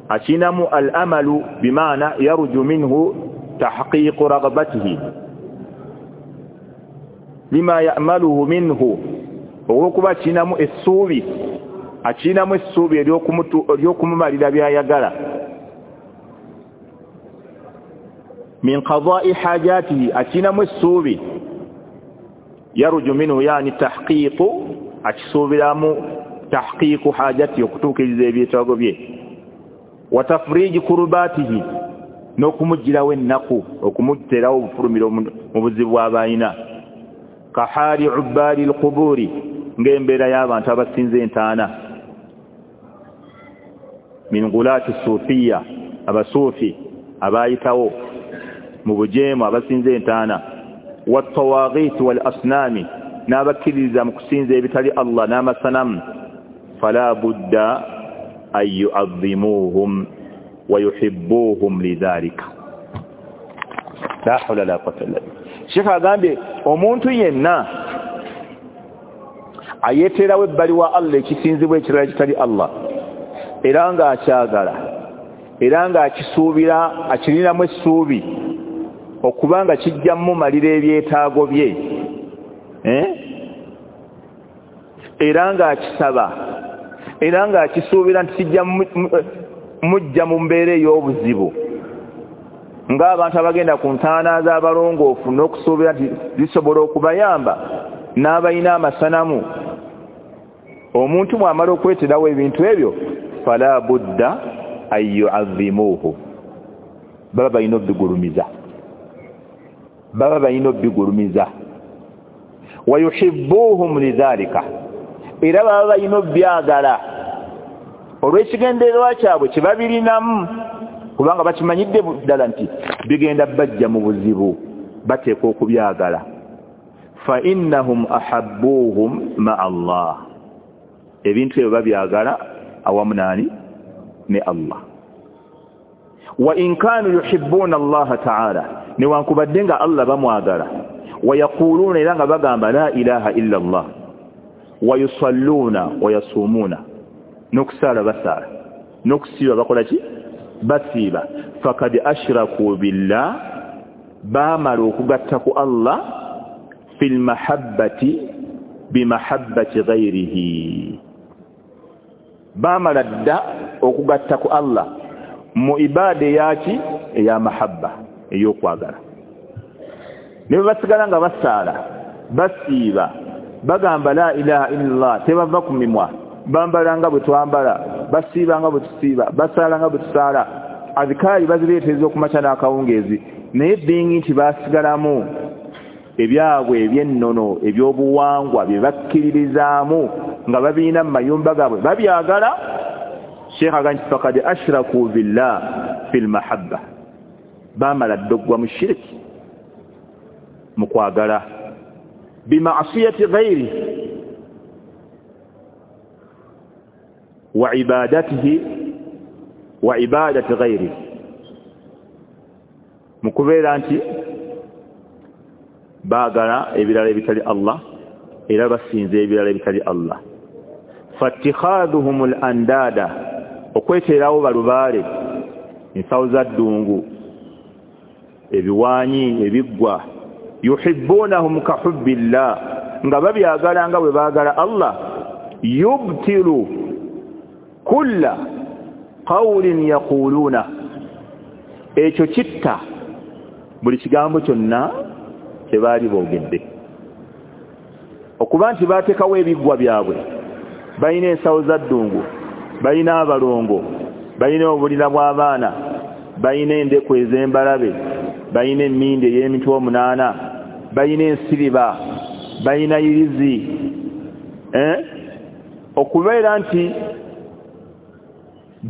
akinamu al-amalu bimaana yarju minhu tahqiqu ragabatihi. Lima ya'maluhu minhu, olw'okuba akinamu essuubi, akinamu essuubi ery'okumumalira by'ayagala. Min qada'i hajatihi, akinamu essuubi yarju minhu yani tahqiqu, akisuubiramu tahqiqu hajati, okutuukiriza ebyetaago bye. Wa tafriji kurubatihi, n'okumuggyirawo ennaku, okumuteerawo obufulumiro mu buzibu bw'abalina. Kahaali ubbaali lqubuuri, ng'embeera y'abantu abasinza entaana. Min gulaati suufiya, abasuufi abaayitawo mu bujeemu abasinza entaana. Wattawaghiti wal asnaami, n'abakkiririza mu kusinza ebitali Allah n'amasanamu. Fala budda an yu'azzimuuhum wa yuhibbuuhum lidhalika. La hawla la quwwata illa billah. Sheikh agambye omuntu yenna ayeeterawo ebbali wa Allah ekisinzibwa ekirala kitali Allah, era ng'akyagala, era ng'akisuubira, akirinamu essuubi okubanga kijja mumalira ebyetaago bye, eh? Era ng'akisaba, era ng'akisuubira nti kijja mujja mu mbeera ey'obuzibu, ng'abantu abagenda ku ntaana z'abalongoofu n'okusuubira nti zisobola okubayamba, n'abalina amasanamu. Omuntu bw'amala okweterawo ebintu ebyo, fala budda an yu'azzimuuhu, baba balina obbigulumiza, baba balina obbigulumiza. Wa yuhibbuuhum lidhalika, era baba balina obbyagala olw'ekigendererwa kyabwe kye babirinamu, kubanga bakimanyidde ddala nti bigenda bajja mu buzibu, bateekwa okubyagala. Fa innahum ahabbuuhum ma'a Allah, ebintu ebyo babyagala awamu nani? Ne Allah. Wa in kanu yuhibbuna Allah ta'ala, newankubadde nga Allah bamwagala. Wa yaquluna, era nga bagamba la ilaha illa Allah. Wa yusalluna wa yasumuna, n'okusaala basaala, n'okusiiba bakola ki? Basiiba. Fakad ashraku billah, baamala okugatta ku Allah fil mahabbati bimahabbati ghayrihi, baamala dda okugatta ku Allah mu ibaada eyaki? Eya mahabba, ey'okwagala. Ne bwe basigala nga basaala, basiiba, bagamba la ilaha illallah, tebava ku mimwa, bambala nga bwe twambala, basiiba nga bwe tusiiba, basaala nga bwe tusaala, azikaali bazireetereza okumakya n'akawungeezi, naye bingi nti basigalamu ebyabwe eby'ennono ebyobuwangwa bye bakkiririzaamu nga babirina mu mayumba gaabwe babyagala. Sheikh agamba nti fakad ashraku billah fil mahabba, baamala dda oggwa mu shiriki mu kwagala. Bima'siyati ghayri wa ibadatihi wa ibadati ghayri, mu kubeera nti baagala ebirala ebitali Allah, era basinza ebirala ebitali Allah. Fattikhadhuhum al-andada, okweteerawo balubaale, ensawo za ddungu, ebiwanyi ebiggwa yuhibbunahum ka hubbillah nga babyagala nga bwe baagala Allah yubtilu kulla qawlin yaquluna ekyo kitta buli kigambo kyonna kye baali boogedde okuba nti bateekawo ebiggwa byabwe balina ensawo za ddungu balina abalongo balina obulira bw'abaana balina endeku ez'embalabe balina emmindi ey'emitwe omunaana balina ensiriba balina yirizi eh? Okubeera nti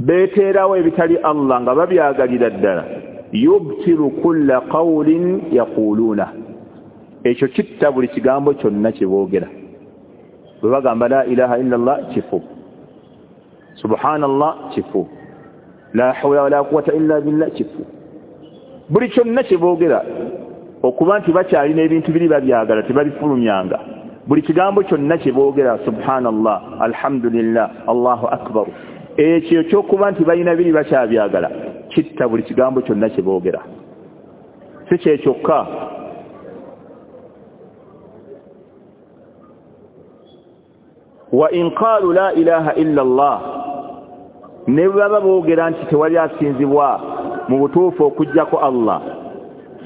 beeteerawo ebitali Allah nga babyagalira ddala yubtilu kulla qawlin yaquluuna ekyo kitta buli kigambo kyonna kye boogera bwe bagamba la ilaha illa Allah kifu subhanallah kifu la hawla wala quwwata illa billah kifu buli kyonna kye boogera okuba nti bakyalina ebintu biri babyagala tebabifulumyanga buli kigambo kyonna kye boogera subhanallah alhamdulillah Allahu akbar ekyo ky'okuba nti balina biri bakyabyagala kitta buli kigambo kyonna kye boogera si kye kyokka wa in qalu la ilaha illa Allah ne baba boogera nti tewali asinzibwa mu butuufu okuggyako Allah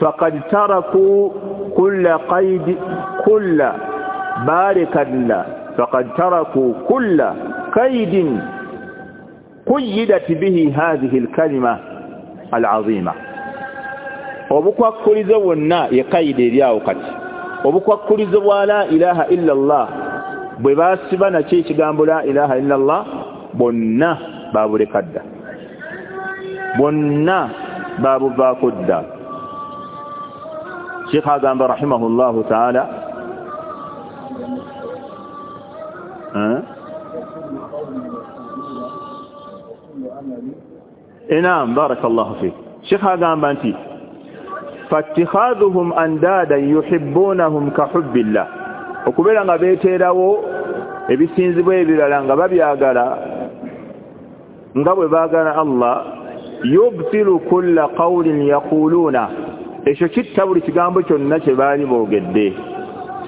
faqad taraku kulla qaid kulla barakalla faqad taraku kulla qaidin quyyidat bihi hadhihi alkalima alazima obukwakkulizo bwonna ye kaida eri awo kati obukwakkulizo bwa la ilaha illa Allah bwe basiba nakyo ekigambo la ilaha illa Allah bonna babuleka dda bonna babuvaako dda Sheikh agamba rahimahullahu ta'ala Naam barakallahu fik Sheikh agamba nti fattikhadhuhum andadan yuhibbunahum ka hubbillah okubeera nga beeteerawo ebisinzibwa ebirala nga babyagala nga bwe baagala Allah yubtilu kulla qawlin yaquluna ekyo kitta buli kigambo kyonna kye baali boogedde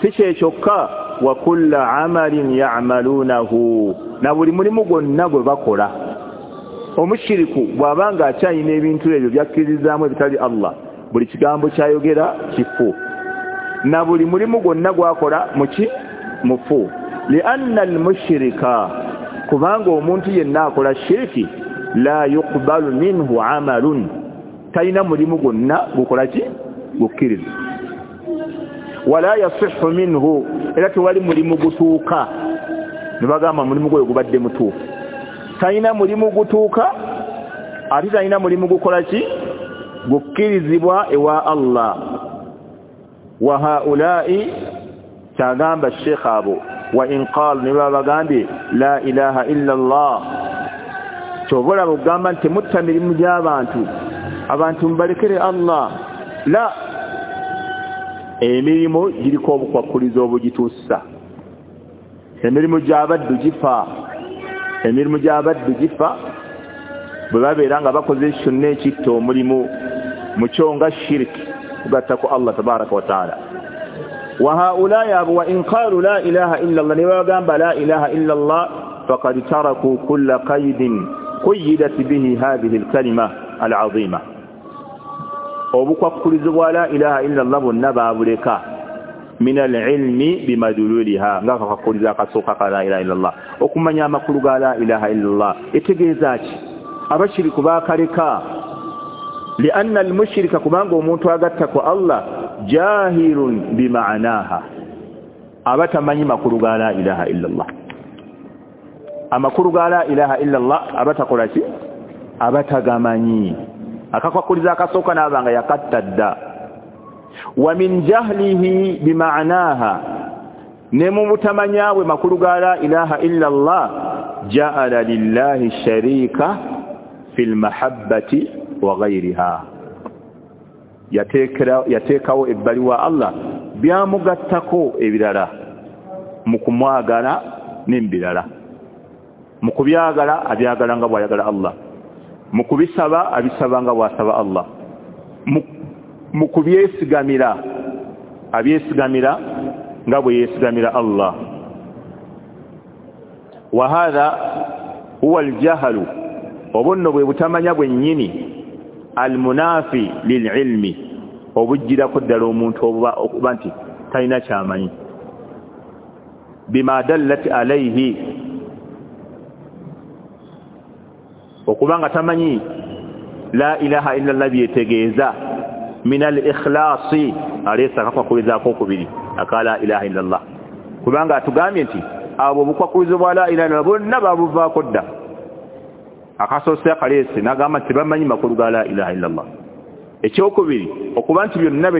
si kye kyokka wa kulla amalin ya'malunahu na buli mulimu gwonna gwe bakola omushiriku bw'abanga akyalina ebintu ebyo byakkirizaamu ebitali Allah buli kigambo kyayogera kifu na buli mulimu gwonna gwakola muki mufu lianna almushrika kubanga omuntu yenna akola shiriki la yuqbalu minhu amalun talina mulimu gwonna gukola ki gukkiriza wala yasihhu minhu era tewali mulimu gutuuka ne bagamba mulimu gwe gubadde mutuufu talina mulimu gutuuka ate talina mulimu gukola ki gukkirizibwa ewa Allah wa haula'i kyagamba Sheikh abo wa in qalu ne babagambye la ilaha illa Allah kyobola bugamba nti mutta mirimu gy'abantu abantu mubalekere Allah la emirimu giriko obukwakkulizo obugituusa emirimu gy'abaddu gifa emirimu gy'abaddu gifa bwe babeera nga bakoze kyonna ekitta omulimu mu kyo nga shiriki kugattako Allah tabaraka wa taala wa haulai abo wa in qalu la ilaha illa Allah ne bagamba la ilaha illa Allah faqad taraku kulla qaidin quyyidat bihi hadhihi alkalima alazima obukwakkulizo bwa la ilaha illa Allah bonna baabuleka min alilmi bimadululiha nga kakakkuliza akasooka ka la ilaha illa Allah okumanya amakulu ga la ilaha illa Allah etegeeza ki abashiriku baakaleka lianna almushrika kubanga omuntu agatta ku Allah jahilun bima'naha abatamanyi makulu ga la ilaha illa Allah amakulu ga la ilaha illa Allah abatakola ki abatagamanyi akakwakuliza akasooka n'abanga yakatta dda wa min jahlihi bima'naha ne mu butamanya bwe makulu ga la ilaha illa Allah ja'ala lillahi sharika fil mahabbati wa ghayriha yateekera yateekawo ebbali wa Allah byamugattako ebirala mu kumwagala n'ebirala mu kubyagala abyagala nga bw'ayagala Allah mu kubisaba abisaba nga bw'asaba Allah mu Mu kubyesigamira abyesigamira nga bwe yeesigamira Allah. Wa hadha huwa aljahlu, obunno bwe butamanya bwennyini, almunafi lililmi, obujjirako ddala omuntu obuba okuba nti talina kyamanyi. Bima dallat alayhi, okubanga tamanyi la ilaha illa Allah byetegeeza, min al-ikhlasi, aleesa akakwakulizaako okubiri aka la ilaha illa Allah, kubanga atugambye nti abo obukwakulizo bwa la ilaha illa Allah bonna babuvaako dda. Akasoose akaleese n'agamba nti tebamanyi makulu ga la ilaha illa Allah. Ekyokubiri okuba nti byonna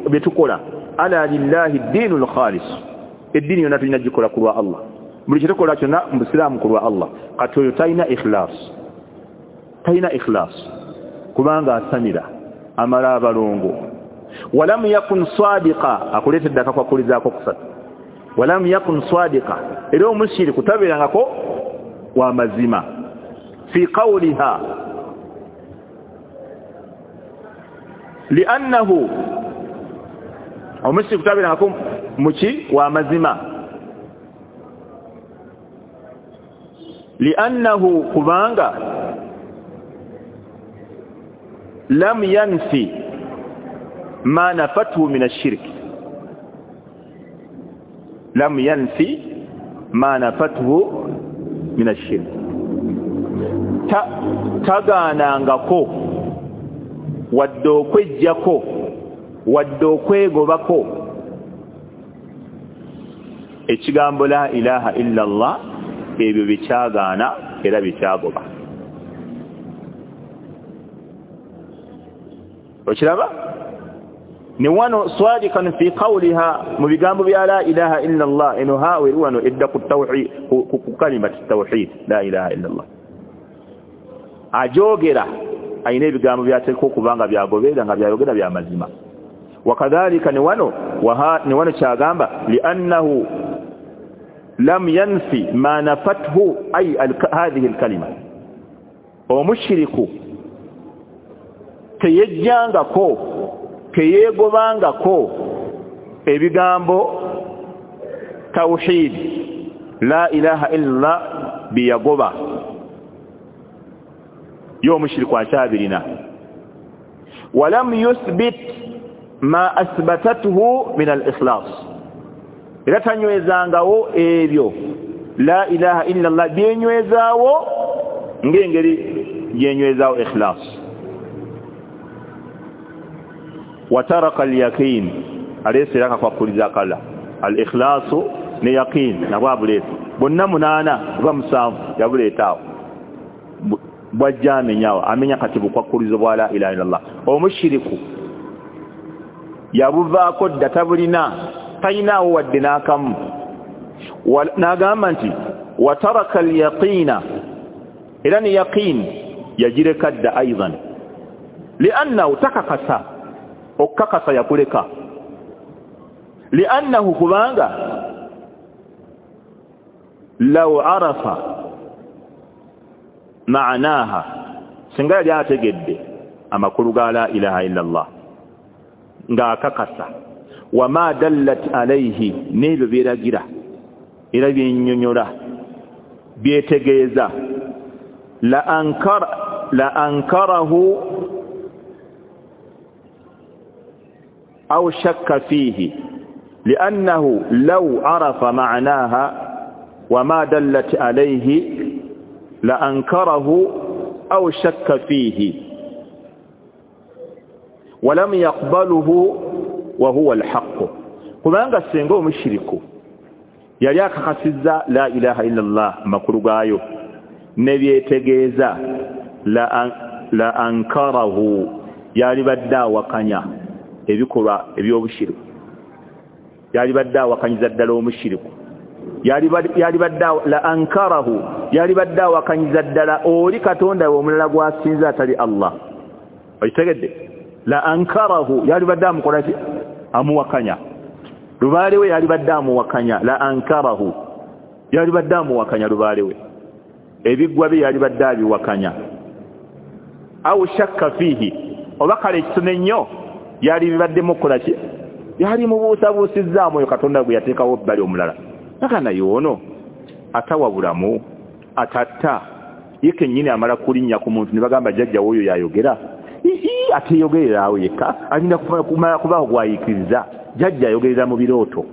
bye tukola ala lillahi ddiinu lkhalis, eddiini yonna tulina gikola ku lwa Allah, buli kyetukola kyonna mu busiraamu ku lwa Allah. Kati oyo talina ikhlas, talina ikhlas kubanga asamira amala abalongo. Walam yakun sadiqa, akuleetedde akakwakulizaako kusatu. Walam yakun sadiqa, era omushiriku tabeerangako wa mazima. Fi qawliha li'annahu, omushiriku tabeerangako muki wa mazima, li'annahu, kubanga lam yanfi ma nafathu min ash-shirk, lam yanfi ma nafathu min ash-shirk, ta tagaanangako wadde okwejjako wadde okwegobako ekigambo la ilaha illa Allah, ebyo bikyagaana era bikyagoba. Okiraba ne wano sadiqan fi qawliha, mu bigambo bya la ilaha illa Allah, eno hawe wano edda ku tawhid, ku kalimati tawhid la ilaha illa Allah, ajogera ayina ebigambo byateekwa okubanga byagoberera nga byayogera bya mazima. Wakadhalika ne wano ne wano kyagamba li'annahu lam yanfi ma nafathu ay hadhihi alkalima, omushiriku teyejjangako teyegobangako ebigambo tawhid la ilaha illa biyagoba, yo omushiriku akyabirina. Walam yuthbit ma athbatathu min al-ikhlas, era tanywezangawo ebyo la ilaha illa Allah byenywezaawo ng'engeri gyenywezaawo ikhlas. Wataraka al-yaqin, aleese akakwakuliza akala al-ikhlasu ne yaqin nabwo abuleeta bonna munaana oba musanvu yabuleetaawo, bwajja amenyawo amenya kati bukwakulizo bwa la ilaha illa Allah. Omushiriku yabuvaako dda tabulina, talinaawo wadde n'akamu. N'agamba nti wataraka al-yaqina, era ne yaqin yagireka dda aidan, li'annahu takakasa, okukakasa yakuleka, li'annahu kubanga law arafa ma'naha, singa yali ategedde amakulu ga la ilaha illa Allah ng'akakasa, wama dallat alayhi, n'ebyo byeragira era byennyonnyola byetegeeza, la ankara la ankarahu aw shakka fihi li'annahu law arafa ma'naha wama dallat alayhi la ankarahu aw shakka fihi walam yaqbaluhu wa huwa al-haqq. Kubanga singa omushiriku yali akakasizza la ilaha illa Allah makulu gaayo ne byetegeeza, la la ankarahu, yali badde awakanya ebikolwa eby'obushiriku, yali badde awakanyiza ddala omushiriku, yali badde la ankarahu, yali badde awakanyiza ddala oli Katonda we omulala gw'asinza atali Allah. Okitegedde? La ankarahu, yali badde amukola ki? Amuwakanya. Lubaale we yali badde amuwakanya, la ankarahu, yali badde amuwakanya lubaale we, ebiggwa bye yali badde abiwakanya. Aw shakka fihi, oba kale ekitono ennyo Yali bibaddemu okukola ki? Yali mubuusabuusizzaamu oyo Katonda gwe yateekawo ebbali omulala. Naka naye ono atawa bulamu, atatta, ye kennyini amala kulinnya ku muntu ne bagamba jjajja w'oyo yayogera. Ii ateyogerera awo yekka, alinda kumala kubaawo gw'ayiikiriza. Jjajja ayogerera mu birooto.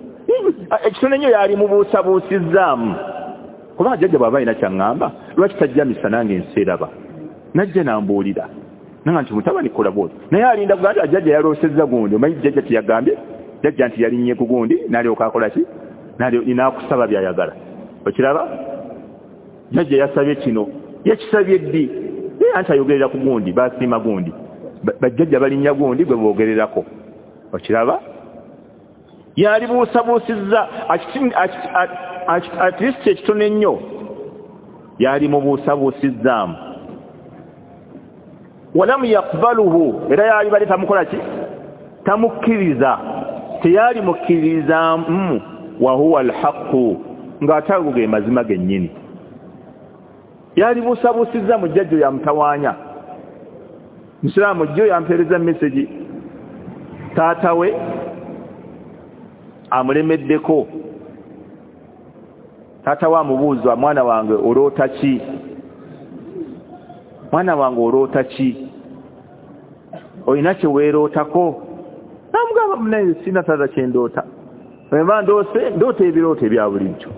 Ekitono ennyo yali mubuusabuusizzaamu. Kubanga jjajja bw'aba alina ky'aŋŋamba, lwaki tajja misana ng'ensi eraba? Najja n'ambuulira. Nanga nti mutabani kola bw'oti. Naye alinda kugamba nti jjajja yaloosezza gundi. Omanyi jjajja kye yagambye? Jjajja nti yalinnye ku gundi, n'alyoka akola ki? N'akusaba by'ayagala. Okiraba? Jjajja yasabye kino. Yakisabye ddi? Naye anti ayogerera ku gundi, basiima gundi. Bajjajja balinnya gundi gwe boogererako. Okiraba? Yali buusabuusizza, at least ekitono ennyo yali mubuusabuusizzaamu. Walamu yakbaluhu, era yali bali tamukola ki? Tamukkiriza. Teyali mukkirizaamu. Wa huwa alhaqu, ng'ate ago ge mazima gennyini. Yali buusabuusizza mu jjajja yamutawaanya. Musiraamu jjo yampeereza message, taata we amulemeddeko. Taata we amubuuza, mwana wange oloota ki? Mwana wange oloota ki? Olina kye weerootako? Namugamba, munaye sina taata kye ndoota. Bwe mba ndoose, ndoota ebirooto ebya bulijjo.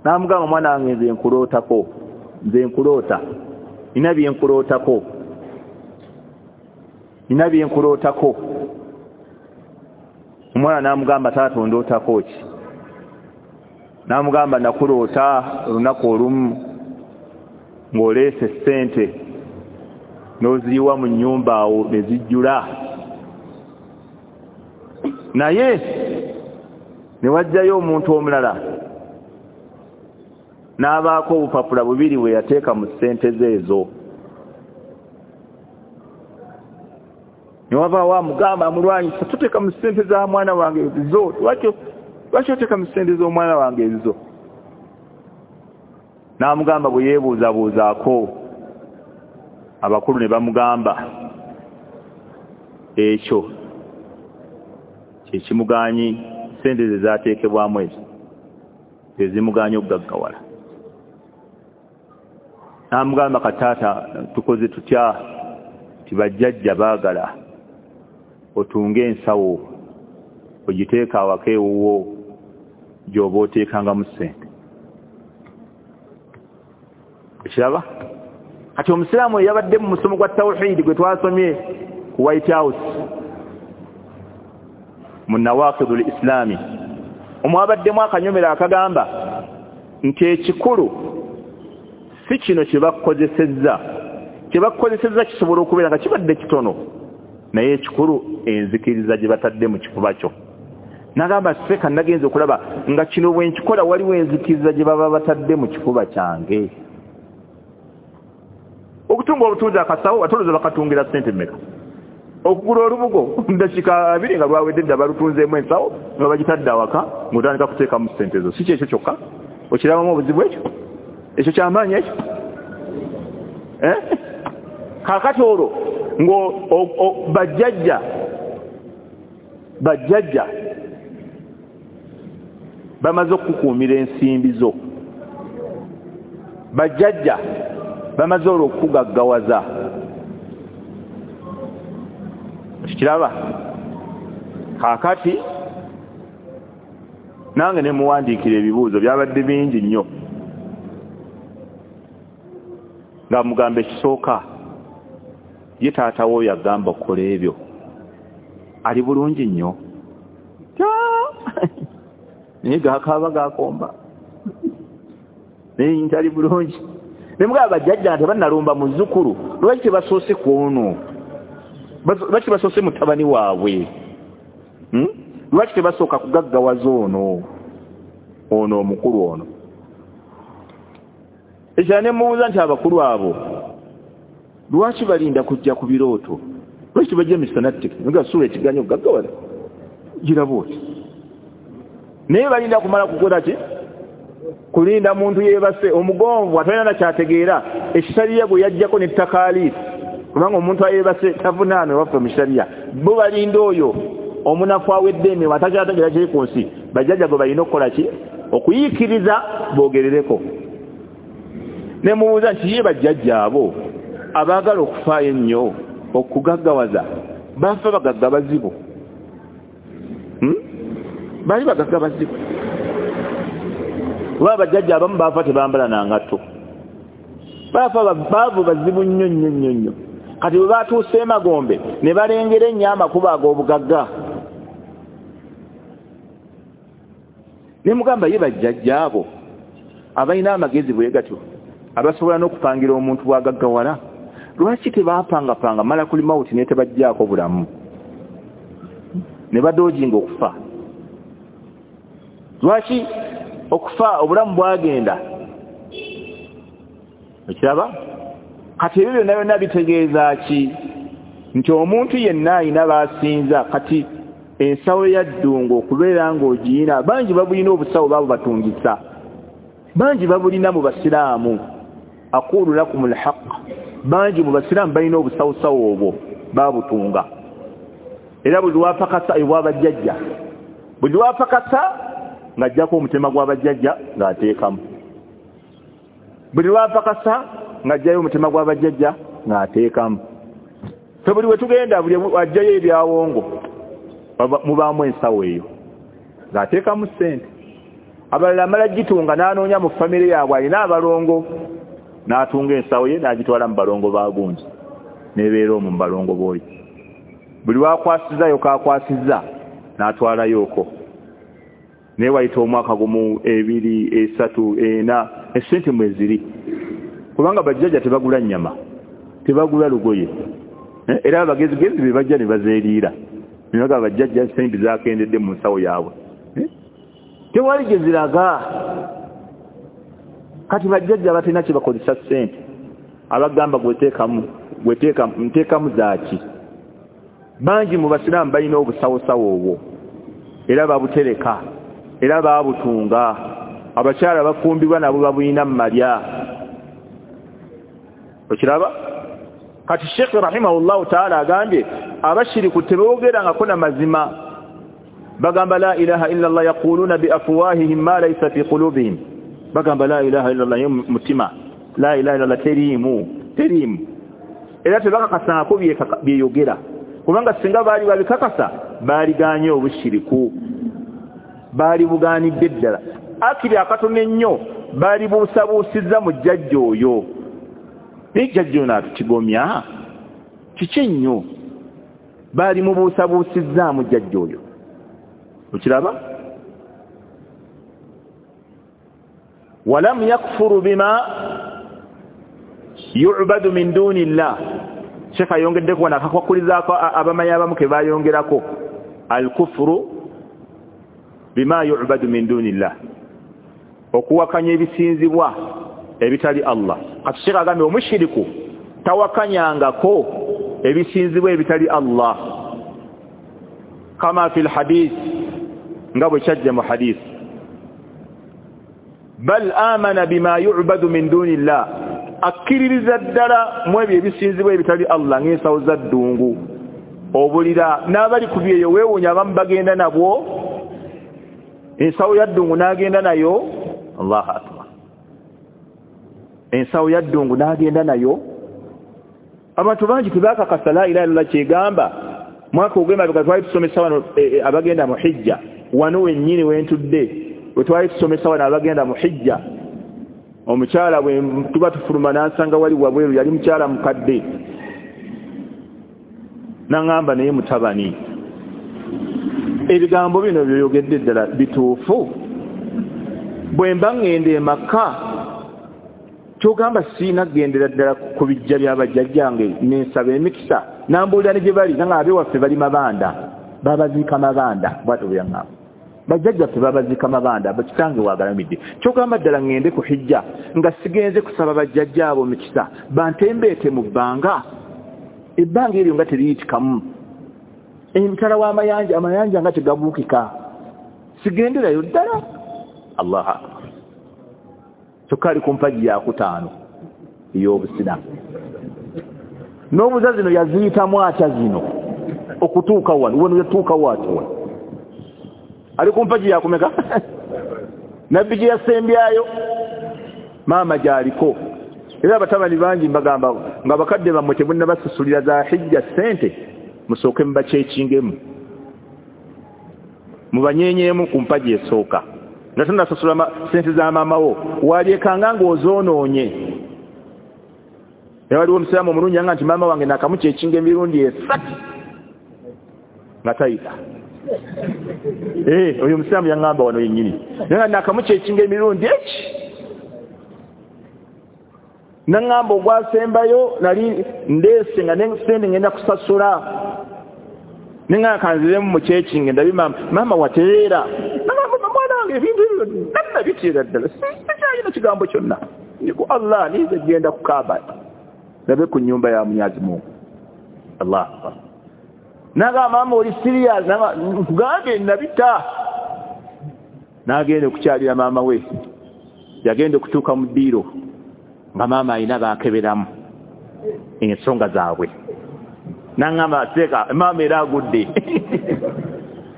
Namugamba, mwana wange nze nkulootako, nze nkuloota, nina bye nkulootako, nina bye nkulootako. Omwana n'amugamba, taata ondootako ki? N'amugamba, nakuloota olunaku olumu ng'oleese ssente n'oziyiwa mu nnyumba awo ne zijjula, naye ne wajjayo omuntu omulala n'abaako obupapula bubiri bwe yateeka mu ssente ze ezo. Ne wabaawo amugamba amulwanyisa, toteeka mu ssente za mwana wange ezo, lwaki oteeka mu ssente z'omwana wange ezo? N'amugamba bwe yeebuuzabuuzaako, abakulu ne bamugamba ekyo kyekimugaanyi, ssente ze zaateekebwamu ezo ezimugaanyi okugaggawala. N'amugamba, kataata tukoze tutya? Ti bajjajja baagala otunge ensawo ogiteeka awaka ewuwo gy'oba oteekangamu ssente. Okiraba? Kati omusiraamu eyabadde mu musomo gwa tawhidi gwe twasomye ku White House mu Nawaqidul Islami, omwabaddemu akanyomero akagamba nti ekikulu si kino kye bakukozesezza, kye bakukozesezza kisobola okubeera nga kibadde kitono, naye ekikulu enzikiriza gye batadde mu kifuba kyo. Nagamba seka nagenze okulaba nga kino bwe nkikola waliwo enzikiriza gye baba batadde mu kifuba kyange. Okutunga obutunzi akasawo atoloza bakatungira ssente mmeka? Okugula olubugo ndakiika abiri nga lwawedde dda balutunzeemu ensawo nga bagitadde awaka ng'otandika kuteekamu ssente zo. Si kyekyo kyokka, okirabamu obuzibu ekyo? Ekyo kyamaanyi ekyo? Eh? Kaakati olwo bajjajja bajjajja bamaze okukuumira ensimbi zo, bajjajja bamaze olwo okukugaggawaza. Okiraba? Kaakati nange ne muwandiikira ebibuuzo byabadde bingi nnyo, nga mugamba ekisooka, ye taata wo yagamba okukola ebyo ali bulungi nnyo, naye gakaaba gakomba, naye ntali bulungi. Ne mugamba bajjajja tebannalumba muzzukulu, lwaki tebasoose ku ono? Lwaki tebasoose mutabani waabwe? Lwaki tebasooka kugaggawaza ono ono omukulu ono? Ekirala ne mubuuza nti abakulu abo lwaki balinda kujja ku birooto? Lwaki tebajja misana nga sula ekiganyo okugaggawala giraba oti? Naye balinda kumala kukola ki? Kulinda muntu yeebase omugonvu atalina na kyategeera, ekisaliya gwe yajjako ne takaalifu Kubanga omuntu ayebase tavunaanwe waffe mu sharia. Bo balinda oyo omunafu awedde emirimu atakyategeera kiri ku nsi, bajjajja gwe balina okukola ki? Okuyiikiriza boogerereko. Ne mubuuza nti ye bajjajja abo abaagala okufaayo ennyo okugaggawaza bafa bagagga bazibu? Hmm? Bali bagagga bazibu. Kuba bajjajja abamu baafa tebambala na ngatto, baafa baavu bazibu nnyo nnyo nnyo nnyo. Kati bwe batuuse emagombe ne balengera ennyo amakubo ag'obugagga. Ne mugamba ye bajjajja abo abalina amagezi bwe gatyo abasobola n'okupangira omuntu bw'agaggawala, lwaki tebaapangapanga malakul mawuti ne tebajjaako bulamu ne badoojinga okufa? Lwaki okufa obulamu bwagenda? Okiraba? Kati ebyo byonna byonna bitegeeza ki? Nti omuntu yenna ayina b'asinza. Kati ensawo ya ddungu okubeera ng'ogiyina, bangi babulina obusawo baabo batungisa, bangi babulina mu basiraamu. Aqulu lakum alhaq, bangi mu basiraamu balina obusawosawo obwo babutunga. Era buli lwapakasa ebwabajjajja, buli lwapakasa ng'ajjako omutima gw'abajjajja ng'ateekamu, buli lwapakasa ng'ajjayo omutima gw'abajjajja ng'ateekamu. Ffe buli we tugenda buli ajjayo ebyawongo mubaamu ensawo eyo ng'ateekamu ssente. Abalala amala gitunga n'anoonya mu famire yaabwe alina abalongo, n'atunga ensawo ye n'agitwala mu balongo baagungi n'ebeera omwo mu balongo b'oyo. Buli lwakwasizzayo k'akwasizza n'atwalayo okwo. Naye wayita omwaka gumu, ebiri, esatu, ena, essente mwe ziri. Kubanga bajjajja tebagula nnyama, tebagula lugoye, era abagezigezi be bajja ne bazeeriira. Ne bagamba bajjajja ssente zaakendedde mu nsawo yaabwe, tewali gye ziraga. Kati bajjajja batalina kye bakozesa ssente, abagamba gweteekamu gweteekamu nteekamu zaaki? Bangi mu basiraamu balina obusawosawo obwo era babutereka era babutunga. Abakyala bafumbibwa nabo babulina mu malya. Okiraba? Kati Sheikh rahimahullahu ta'ala agambye abashiriku teboogerangako na mazima, bagamba la ilaha illa Allah, yaquluna bi afwahihim ma laysa fi qulubihim. Bagamba la ilaha illa Allah mutima, la ilaha illa Allah teriimu teriimu, era tebakakasangako byeyogera, kubanga singa baali babikakasa baaliganye obushiriku, baali bugaanidde ddala. Akiri akatono ennyo baali buusabuusizza mu jjajja oyo. Naye jjajja ono atukigomya kiki ennyo? Baali mubuusabuusizzaamu jjajja oyo. Okiraba? Walam yakfuru bima yu'badu min duni llah. Sheikh ayongeddeko wano akakwakulizaako abamanyi abamu ke baayongerako al-kufru bima yu'badu min duni llah, okuwakanya ebisinzibwa ebitali Allah. Kati Sheikh agambye omushiriku tawakanyangako ebisinzibwa ebitali Allah, kama fil hadith, nga bwe kyajja mu hadith. Bal amana bima yu'badu min duni llah, akkiririza ddala mu ebyo ebisinzibwa ebitali Allah, ng'ensawo za ddungu, obulira n'abali ku byeyo. Weewuunya abamu bagenda nabwo, ensawo ya ddungu n'agenda nayo. Allahu akbar! Ensawo ya ddungu n'agenda nayo. Abantu bangi tebakakasa la ilaha illallah kyegamba. Mwaka ogw'emabega twali tusomesa wano e, e, abagenda mu hijja, wano wennyini wentudde we twali tusomesa wano abagenda mu hijja. Omukyala bwe tuba tufuluma n'ansanga wali wabweru, yali mukyala mukadde, n'aŋŋamba naye mutabani, ebigambo bino byoyogedde ddala bituufu? Bwe mba ŋŋenda e Makka kyogamba siina kugendera ddala ku bijja by'abajjajjange nensaba emikisa? Nambuulira ne gye bali, nanga abewaffe bali mabanda, babaziika mabanda. Bw'atyo bwe yaŋŋamba, bajjajjaffe babaziika mabanda, bakitange waagalamidde. Kyogamba ddala ŋŋende ku hijja nga sigenze kusaba bajjajja abo mikisa bantembeete mu bbanga? Ebbanga eryo nga teriyitikamu, emitala w'amayanja, amayanja nga tegabuukika, sigenderayo ddala. Allahu akbar! Kyokka ali ku mpagi yakutaano ey'obusiraamu. N'obuza zino yaziyitamu atya zino okutuuka wano, wano yatuuka waati wano ali ku mpagi yakumeka nabbi gye yasembyayo maama gy'aliko. Era abatabani bangi mbagamba nga bakadde bammwe temunnabasasulira za hijja ssente, musooke mubakyekingemu, mubanyenyeemu ku mpagi esooka nga tonnasasula ssente za maama wo, walyekanga ng'ozoonoonye. Era waliwo omusiraamu omulungi yanga nti maama wange naakamukyekinga emirundi esatu nga tayita. Eh, oyo omusiraamu yaŋŋamba wano yennyini, naye nga naakamukyekinga emirundi eki, naŋŋamba ogwasembayo nali ndeese nga sente ngenda kusasula, neŋŋamba kanziremu mukyekinge ndabe maama, maama watereera. Nagamba mwana wange ebintu ebyo nannabiteera ddala, sikyalina kigambo kyonna, ndi ku Allah nize genda ku Kaaba ndabe ku nnyumba ya Mwenyezi Mungu. Allah akbar. Nagamba maama oli serious? Nkugambye nabita. N'agenda okukyalira maama we, yagenda okutuuka mu ddiiro nga maama alina baakeberamu ensonga zaabwe, naŋŋamba seeka maama era agudde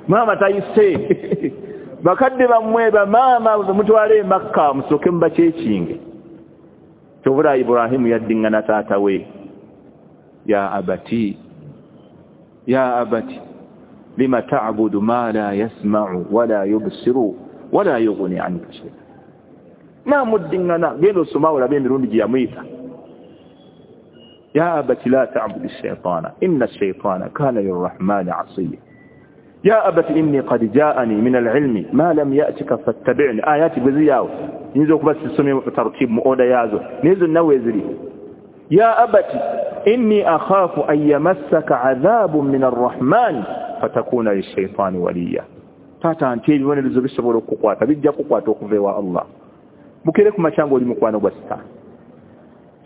maama tayise. Bakadde bammwe bamaama mutwale e Makka musooke mubakyekinge. Kyovula Ibrahimu yaddiŋŋana taata we, ya abati ya abati lima ta'budu ma la yasma'u wala yubsiru wala yughni anka shay'a. Namuddiŋŋana, genda osoma olabe emirundi gye yamuyita. Ya abati la ta'budu shaytana inna shaytana kana lirrahmani asiya. Ya abati inni qad ja'ani min al-ilmi ma lam ya'tika fattabi'ni. Ayati bwe ziri awo nyinza okuba sisomye tartibu mu oda yaazo, naye zonna weeziri. Ya abati inni akhafu an yamassaka adhabun min arrahman fatakuna lishaitani waliya. Taata nti ebibonerezo bisobola okukukwata, bijja kukwata okuva ewa Allah. Bukere ku makya ng'oli mukwano gwa sitaani.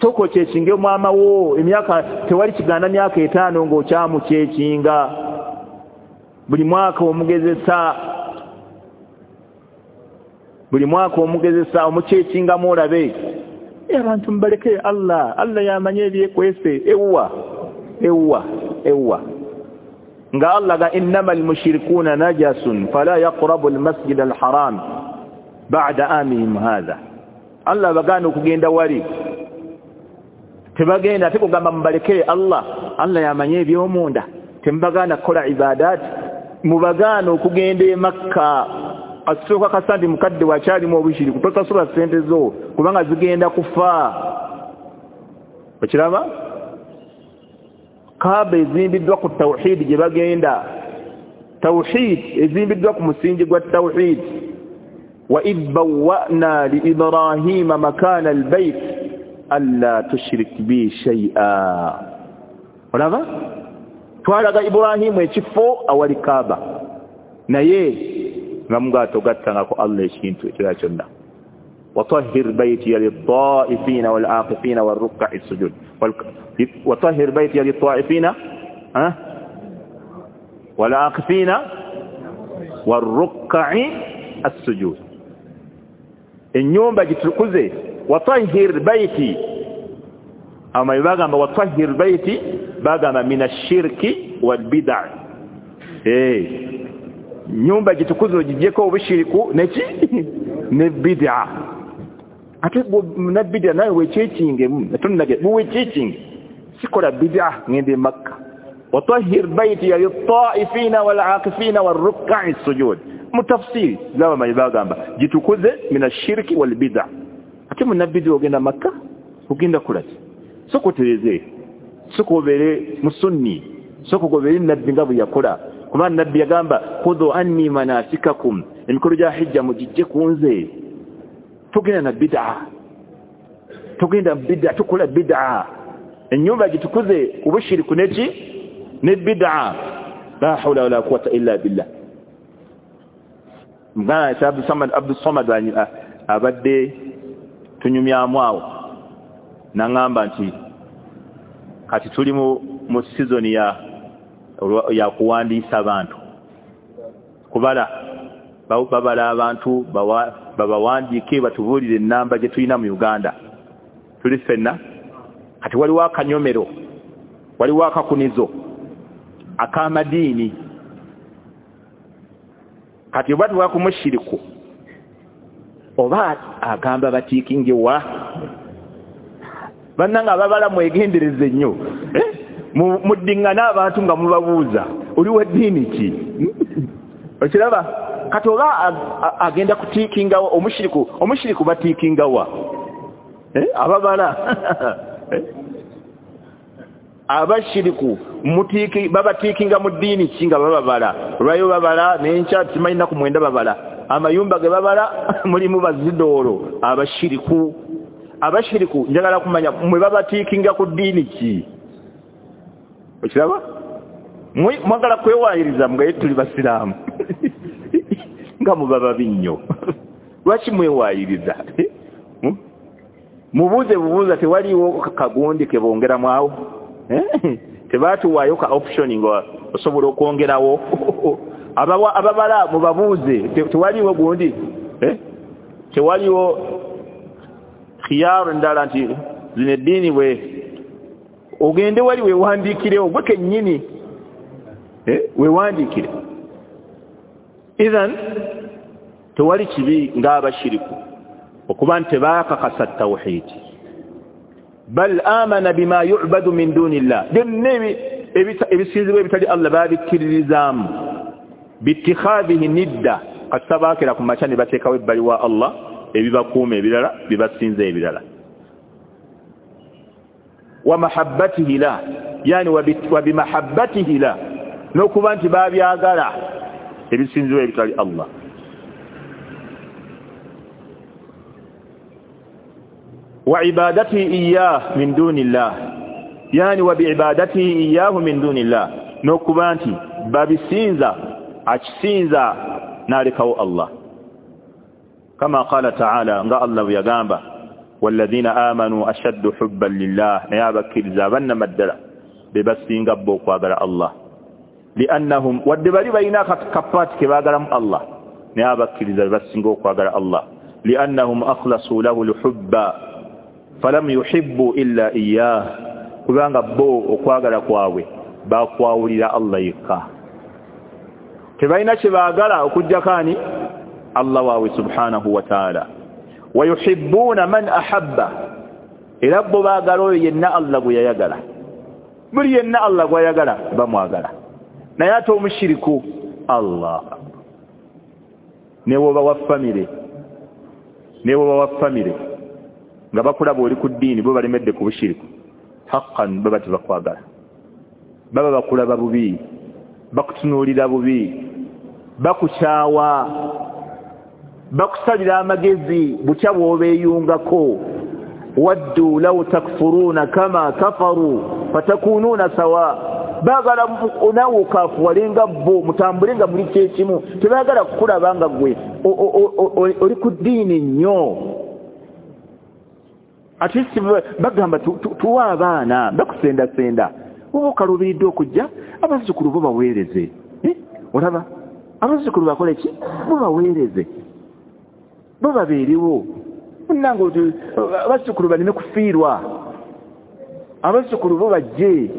Sooka okyekinge maama wo, emyaka tewali kigaana myaka etaano ng'okyamukyekinga, buli mwaka omugezesa, buli mwaka omugezesa omukyekingamu olabe. Abantu mubaleke Allah, Allah yamanye ebyekwese. Ewwa ewwa ewwa nga Allah ga innama almushrikuuna najasun fala yaqrabu almasjida alharam ba'da amihim hadha. Allah bagaana okugenda wali, tebagenda. Ate kugamba mubalekere Allah, Allah yamanye ebyomunda, temubagaana kukola ibadaati, mubagaana okugenda e Makka. Asooka kasandi mukadde wakyalimu obushiriku, tosasula ssente zo kubanga zigenda kufa. Okiraba Kaaba ezimbiddwa ku tawhidi gye bagenda, tawhid ezimbiddwa ku musingi gwa tawhid. Wa idh bawwa'na li Ibrahima makana albayt alla tushrik bi shay'a. Olaba twalaga Ibrahimu ekifo awali Kaaba, naye nga Mungu atogattangako Allah ekintu ekirala kyonna. Watahhir baytiya lit-ta'ifina wal-'aqifina war-ruk'i sujud. Watahhir baytiya lit-ta'ifina wal-'aqifina war-ruk'i as-sujud. Ennyumba gitukuze. Watahhir bayti, ama bagamba watahhir bayti, bagamba mina shirki wal bid'a. Eh, nyumba gitukuze ogijjeko obushiriku neki ne bid'a. Ate na bid'a nawe wekyekingemu, tonage wekyekинge, sikola bid'a ngende Makka. Watahhir bayti lit-ta'ifina wal-'aqifina war-ruk'i sujud. Mu tafsiri zaba bagamba gitukuze mina shirki wal bid'a. Ate munna bid'a ogenda Makka ogenda kulaki? Soko tereze, soko obere musunni, soko gobere nabbi nga bwe yakola. Kuba nabbi yagamba khudhu anni manasikakum, emikolo gya hijja mugijje ku nze. Tugenda na bid'a, tugenda bid'a, tukola bid'a. Ennyumba gitukuze obushiriku neki ne bid'a. La hawla wala quwwata illa billah. Muganda Abdul Samad, Abdul Samad abadde tunyumyamu awo naŋŋamba nti kati tuli mu mu season ya ya kuwandiisa abantu, kubala babala abantu babawandiike batubuulire ennamba gye tulina mu Uganda. Tuli ffenna kati waliwo akanyomero Waliwo akakunizo ak'amadiini. Kati oba tuwa ku mushiriku oba agamba batiikingewa bannanga ababala mwegendereze nnyo, muddiŋŋana abantu nga mubabuuza oli wa ddiini ki? Okiraba? Kati oba agenda kutiikingawa omushiriku, omushiriku batiikingawa ababala abashiriku mutiki babatiikinga mu ddiini ki nga bababala? Olwayo babala n'enkya simanyi nnaku mwenda babala, amayumba ge babala mulimu bazidoolo abashiriku. Abashiriku njagala kumanya mwe babatiikinga ku ddiini ki? Okiraba? Mwagala kwewaayiriza mugaye tuli basiraamu nga muba babi nnyo. Lwaki mwewaayiriza? Mubuuze bubuuza, tewaliwo kagundi ke bongeramu awo? Tebaatuwaayo ka option nga osobola okwongerawo? Ababala mubabuuze, tewaliwo gundi, tewaliwo khiyaaru ndala nti zino eddiini bwe ogende wali weewandiikirewo gwe kennyini, weewandiikire. Idhan tewali kibi ng'abashiriku okuba nti tebaakakasa tawhidi, bal amana bima yu'badu min duni llah, byonna ebisinzibwa ebitali Allah babikkiririzaamu, biittikhadhihi nidda, kasita baakera ku makya ne bateekawo ebbali wa Allah ebibakuuma ebirala bibasinza ebirala. Wa mahabbatihi la, yani wa bimahabbatihi la, n'okuba nti babyagala ebisinzibwa ebitali Allah. Wa ibadatihi iyyah min duni llah, yani wa biibadatihi iyyahu min duni llah, n'okuba nti babisinza akisinza n'alekawo Allah. Kama qala ta'ala, nga Allah bwe yagamba walladhina amanu ashaddu hubban lillah, naye abakkiriza abannamaddala be basinga bo okwagala Allah. Liannahum, wadde bali balina kapaati ke baagalamu Allah, naye abakkiriza be basinga okwagala Allah. Liannahum akhlasu lahu lhubba falam yuhibbu illa iyyah, kubanga bo okwagala kwabwe bakwawulira Allah yekka, tebalina kye baagala okuggyako ani? Allah waabwe subhanahu wa ta'ala. Wa yuhibbuna man ahabba, era bo baagala oyo yenna Allah gwe yayagala, buli yenna Allah gw'ayagala bamwagala. Naye ate omushiriku Allah ne bw'oba wa famire, ne bw'oba wa famire nga bakulaba oli ku ddiini bo balemedde ku bushiriku, haqqan baba tebakwagala, baba bakulaba bubi, bakutunuulira bubi, bakukyawa, bakusalira amagezi butya bw'obeeyungako. Waddu law takfuruuna kama kafaru fatakunuuna sawa, baagala naawe okaafuwale nga bo, mutambule nga muli kyekimu, tebaagala kukulaba nga ggwe oli ku ddiini nnyo. At least bagamba tuwa abaana, bakusendasenda, oba okaluubiridde okujja abazzukulu bo baweereze. Olaba abazzukulu bakole ki? Bo baweereze, bo babeerewo. Munnange abazzukulu baleme kufiirwa, abazzukulu bo bajje.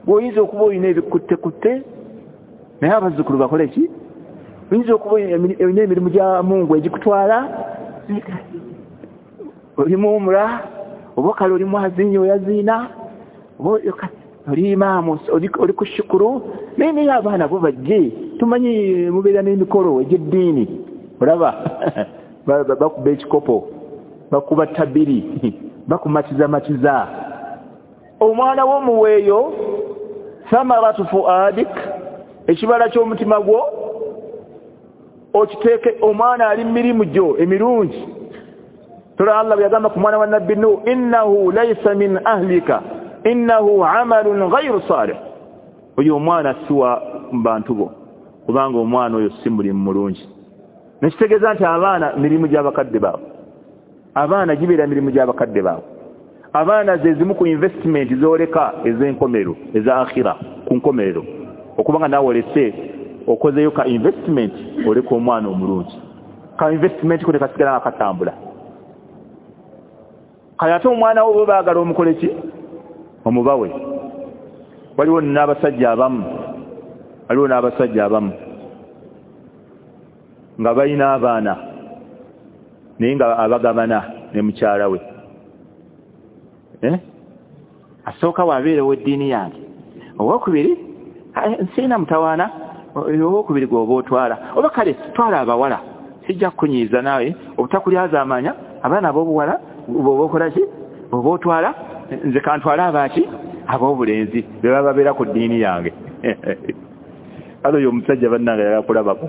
Bw'oyinza okuba olina ebikuttekutte, naye abazzukulu bakole ki? Oyinza okuba olina emirimu gya Mungu egikutwala, oli muwumula, oba kale oli mwaziinyi oyaziina, oba oli imaamu oli ku shukuru, naye naye abaana bo bajje. Tumanyi mubeera n'emikolo egy'eddiini, olaba bakuba ekikopo, bakuba tabiri, bakumatizamatiza. Omwana wo muweeyo thamaratu fuadik, ekibala ky'omutima gwo okiteeke. Omwana ali mirimu gyo emirungi. Tula Allah bwe yagamba ku mwana wa Nabbi Nuh, innahu laysa min ahlika innahu amalun ghayru salih, oyo omwana si wa bantu bo, kubanga omwana oyo si mulimu mulungi. Nekitegeeza nti abaana mirimu gy'abakadde baabwe, abaana gibeera mirimu gy'abakadde baabwe. Abaana ze zimu ku investment z'oleka ez'enkomerero, eza akhira ku nkomerero, okubanga naawe olese okozeyo ka investment, oleka omwana omulungi, ka investment ko tekasigala nga katambula. Kale ate omwana wo bo baagala omukole ki? Omubawe. Waliwo n'abasajja abamu, waliwo n'abasajja abamu nga balina abaana naye nga abagabana ne mukyala we. Eh? Asooka wabeere ow'eddiini yange, owokubiri nsiina mutawaana, owokubiri gw'oba otwala, oba kale twala abawala, sijja kukunyiiza naawe obutakulyazaamanya abaana ab'obuwala bw'oba okola ki, bw'oba otwala, nze kantwale abaaki ab'obulenzi be baba babeera ku ddiini yange. Kale oyo omusajja bannange ayagala kulabako.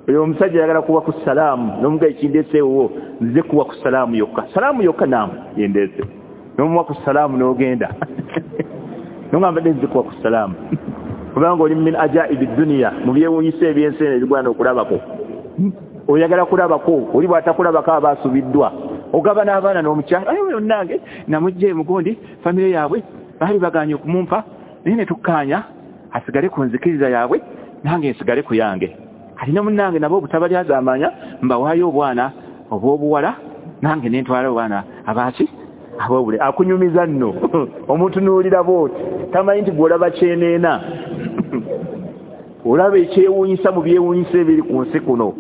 Oyo omusajja ayagala kuwa ku salaamu, n'omuga ekindeeseewo nze kuwa ku salaamu yokka, salaamu yokka naamu yendeese, n'omuwa ku salaamu n'ogenda n'ogamba mbadde nze kuwa ku salaamu, kubanga oli min ajaibi duniya, mu byewuunyisa ebyensi eno ebigwana okulabako. Oyagala kulabako, oli bw'atakulabako aba asubiddwa. Ogaba n'abaana n'omukyala, aye oyo nange namugja emugundi famire yaabwe baali bagaanye okumumpa, naye ne tukkaanya asigale ku nzikiriza yaabwe nange nsigale ku yange. Kati ne munnange nabo obutabalyazaamanya mbawaayo obwana obw'obuwala nange ne ntwala obwana abaaki ab'obule. Akunyumiza nno omutunuulira bw'oti tamanyi nti gw'olaba kyeneena, olaba ekyewuunyisa mu byewuunyisa ebiri ku nsi kuno,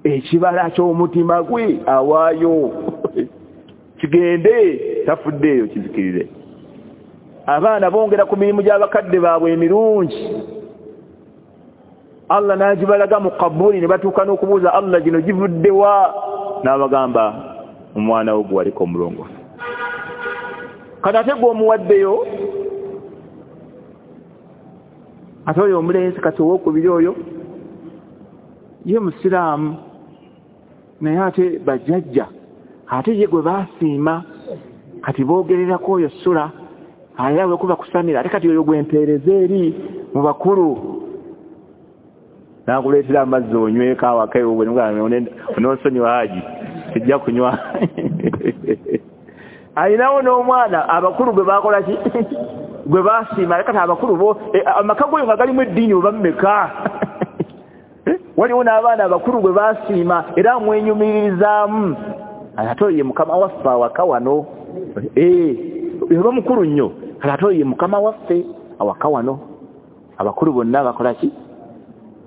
ekibala ky'omutima gwe awaayo kigende, tafuddeeyo kizikirire. Abaana bongera ku mirimu gy'abakadde baabwe emirungi, Allah n'agibalaga mu kabuli, ne batuuka n'okubuuza Allah gino givudde wa, n'abagamba omwana wo gwe waliko omulongoofu. Kati ate gwe omuwaddeyo, ate oyo omulenzi kati owookubiri oyo ye musiraamu, naye ate bajjajja ate ye gwe baasiima, kati boogererako oyo sula aya wekuba kusamira, ate kati oyo gwe mpeereza eri mu bakulu, n'akuleetera amazzi onyweko awaka ewuwe, onoonsonyiwa Haji sijja kunywa. Alinawo n'omwana abakulu gwe baakola ki, gwe baasiima, ate kati abakulu bo amaka goyo nga galimu eddiini oba mmeka, waliwo n'abaana abakulu gwe baasiima era amwenyumiririzaamu, ate oyo ye mukama waffe awaka wano, oba mukulu nnyo, ate oyo ye mukama waffe awaka wano. Abakulu bonna bakola ki,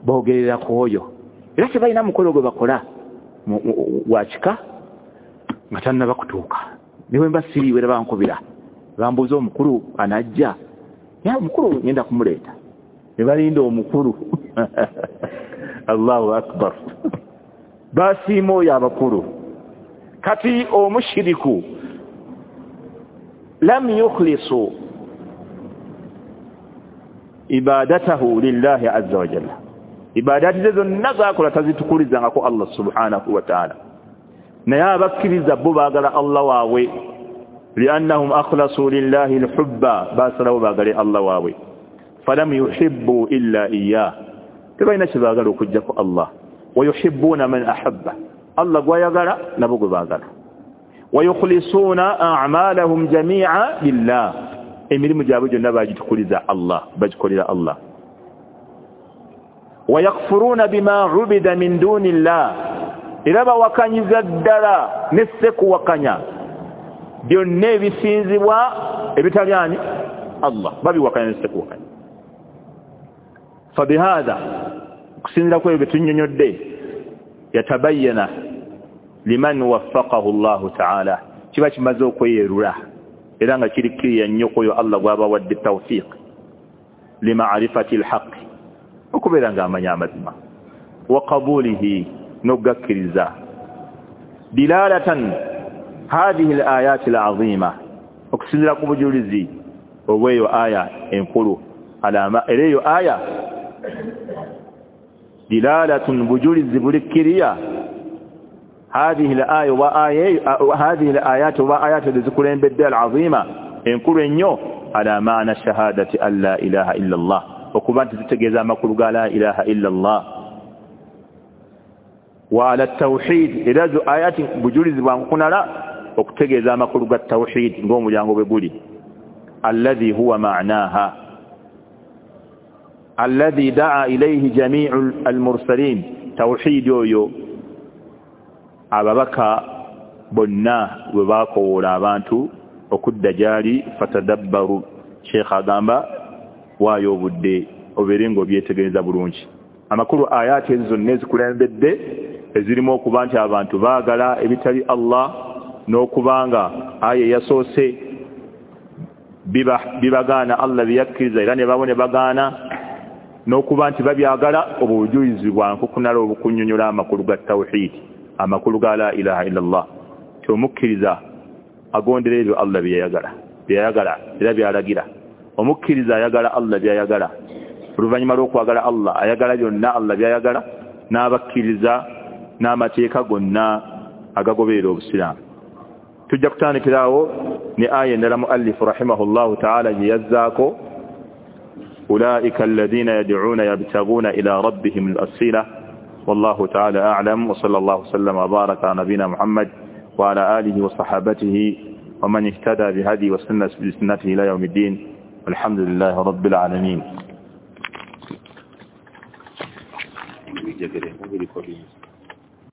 boogerera ku oyo, era tebalina mukolo gwe bakola gwa kika nga tannaba kutuuka. Ne bwe mba siriiwo era bankubira bambuuza omukulu anajja, naye omukulu ngenda kumuleeta, ne balinda omukulu. Allahu akbar. Basiima oyo abakulu. Kati omushiriku lam yukhlisu ibadatahu lillahi azza wa jalla, ibadati ze zonna z'akola tazitukulizangako Allah subhanahu wa ta'ala. Naye abakkiriza bo baagala Allah waabwe, liannahum akhlasu lillahi alhubba, baasalawo baagale Allah waabwe, falam yuhibbu illa iyyah, tebalina kye baagala okuggyako Allah. Wa yuhibbuuna man ahabba, Allah gw'ayagala nabo gwe baagala. Wa yukhlisuuna a'maalahum jamii'a lillah, emirimu gyabwe gyonna bagitukuliza Allah, bagikolera Allah. Wa yakfuruuna bima ubida min duuni llah, era bawakanyiza ddala ne ssekuwakanya byonna ebisinzibwa ebitali ani Allah, babiwakanya ne ssekuwakanya. Fabihadha, okusinziira ku ebyo bye tunnyonnyodde, yatabayyana liman waffaqahu Allahu ta'ala, kiba kimaze okweyerula era nga kiri kiriya nnyo ku oyo Allah gw'abawadde tawfiq limaarifati alhaqi, okubeera ng'amanya amazima, wa qabulihi, n'okugakkiriza. Dilalatan hadhihi alayati alazima, okusinziira ku bujulizi obw'eyo aya enkulu, alama era eyo aya dilalatun, bujulizi buli kiriya. Hadhihi alaya wa aya hadhihi alayat wa ayat ezikulembedde alazima enkulu ennyo, ala maana shahadati an la ilaha illa Allah, okuba nti zitegeeza amakulu ga la ilaha illa Allah. Wa ala tawhid, era zo ayati bujulizi bwa nkunala okutegeeza amakulu ga tawhid ng'omulyango bwe guli, alladhi huwa ma'naha alladhi da'a ilayhi jami'u almursalin, tawhid oyo ababaka bonna bwe baakowoola abantu Okudda gyali fatadabbaru. Sheikh agamba waayo obudde obeere ng'obyetegereza bulungi. Amakulu ayaati ezo zonna ezikulembedde ezirimu okuba nti abantu baagala ebitali Allah, n'okubanga aya eyasoose bibagaana Allah byeyakkiriza era ne babo ne bagaana, n'okuba nti babyagala. Obwo bujulizi bwa nkukunala obukunnyonnyola amakulu ga tawhidi, amakulu ga la ilaha illa Allah, ti omukkiriza agondera ebyo Allah byeyayagala byeyayagala era byalagira. Omukkiriza ayagala Allah byayagala, oluvannyuma lw'okwagala Allah ayagala byonna Allah byayagala, n'abakkiriza n'amateeka gonna agagoberera obusiraamu. Tujja kutandikirawo ne aya endala muallifu rahimahullahu taala gye yazzaako, ulaika alladhina yad'una yabtaguna ila rabbihim al-wasila. Wallahu taala a'lam, wa sallallahu sallama wa baraka ala nabina Muhammad wa ala alihi wa sahabatihi wa man ihtada bihadi wa sanna bi sunnatihi ila yawmiddin. Walhamdulillahi rabbil alamin.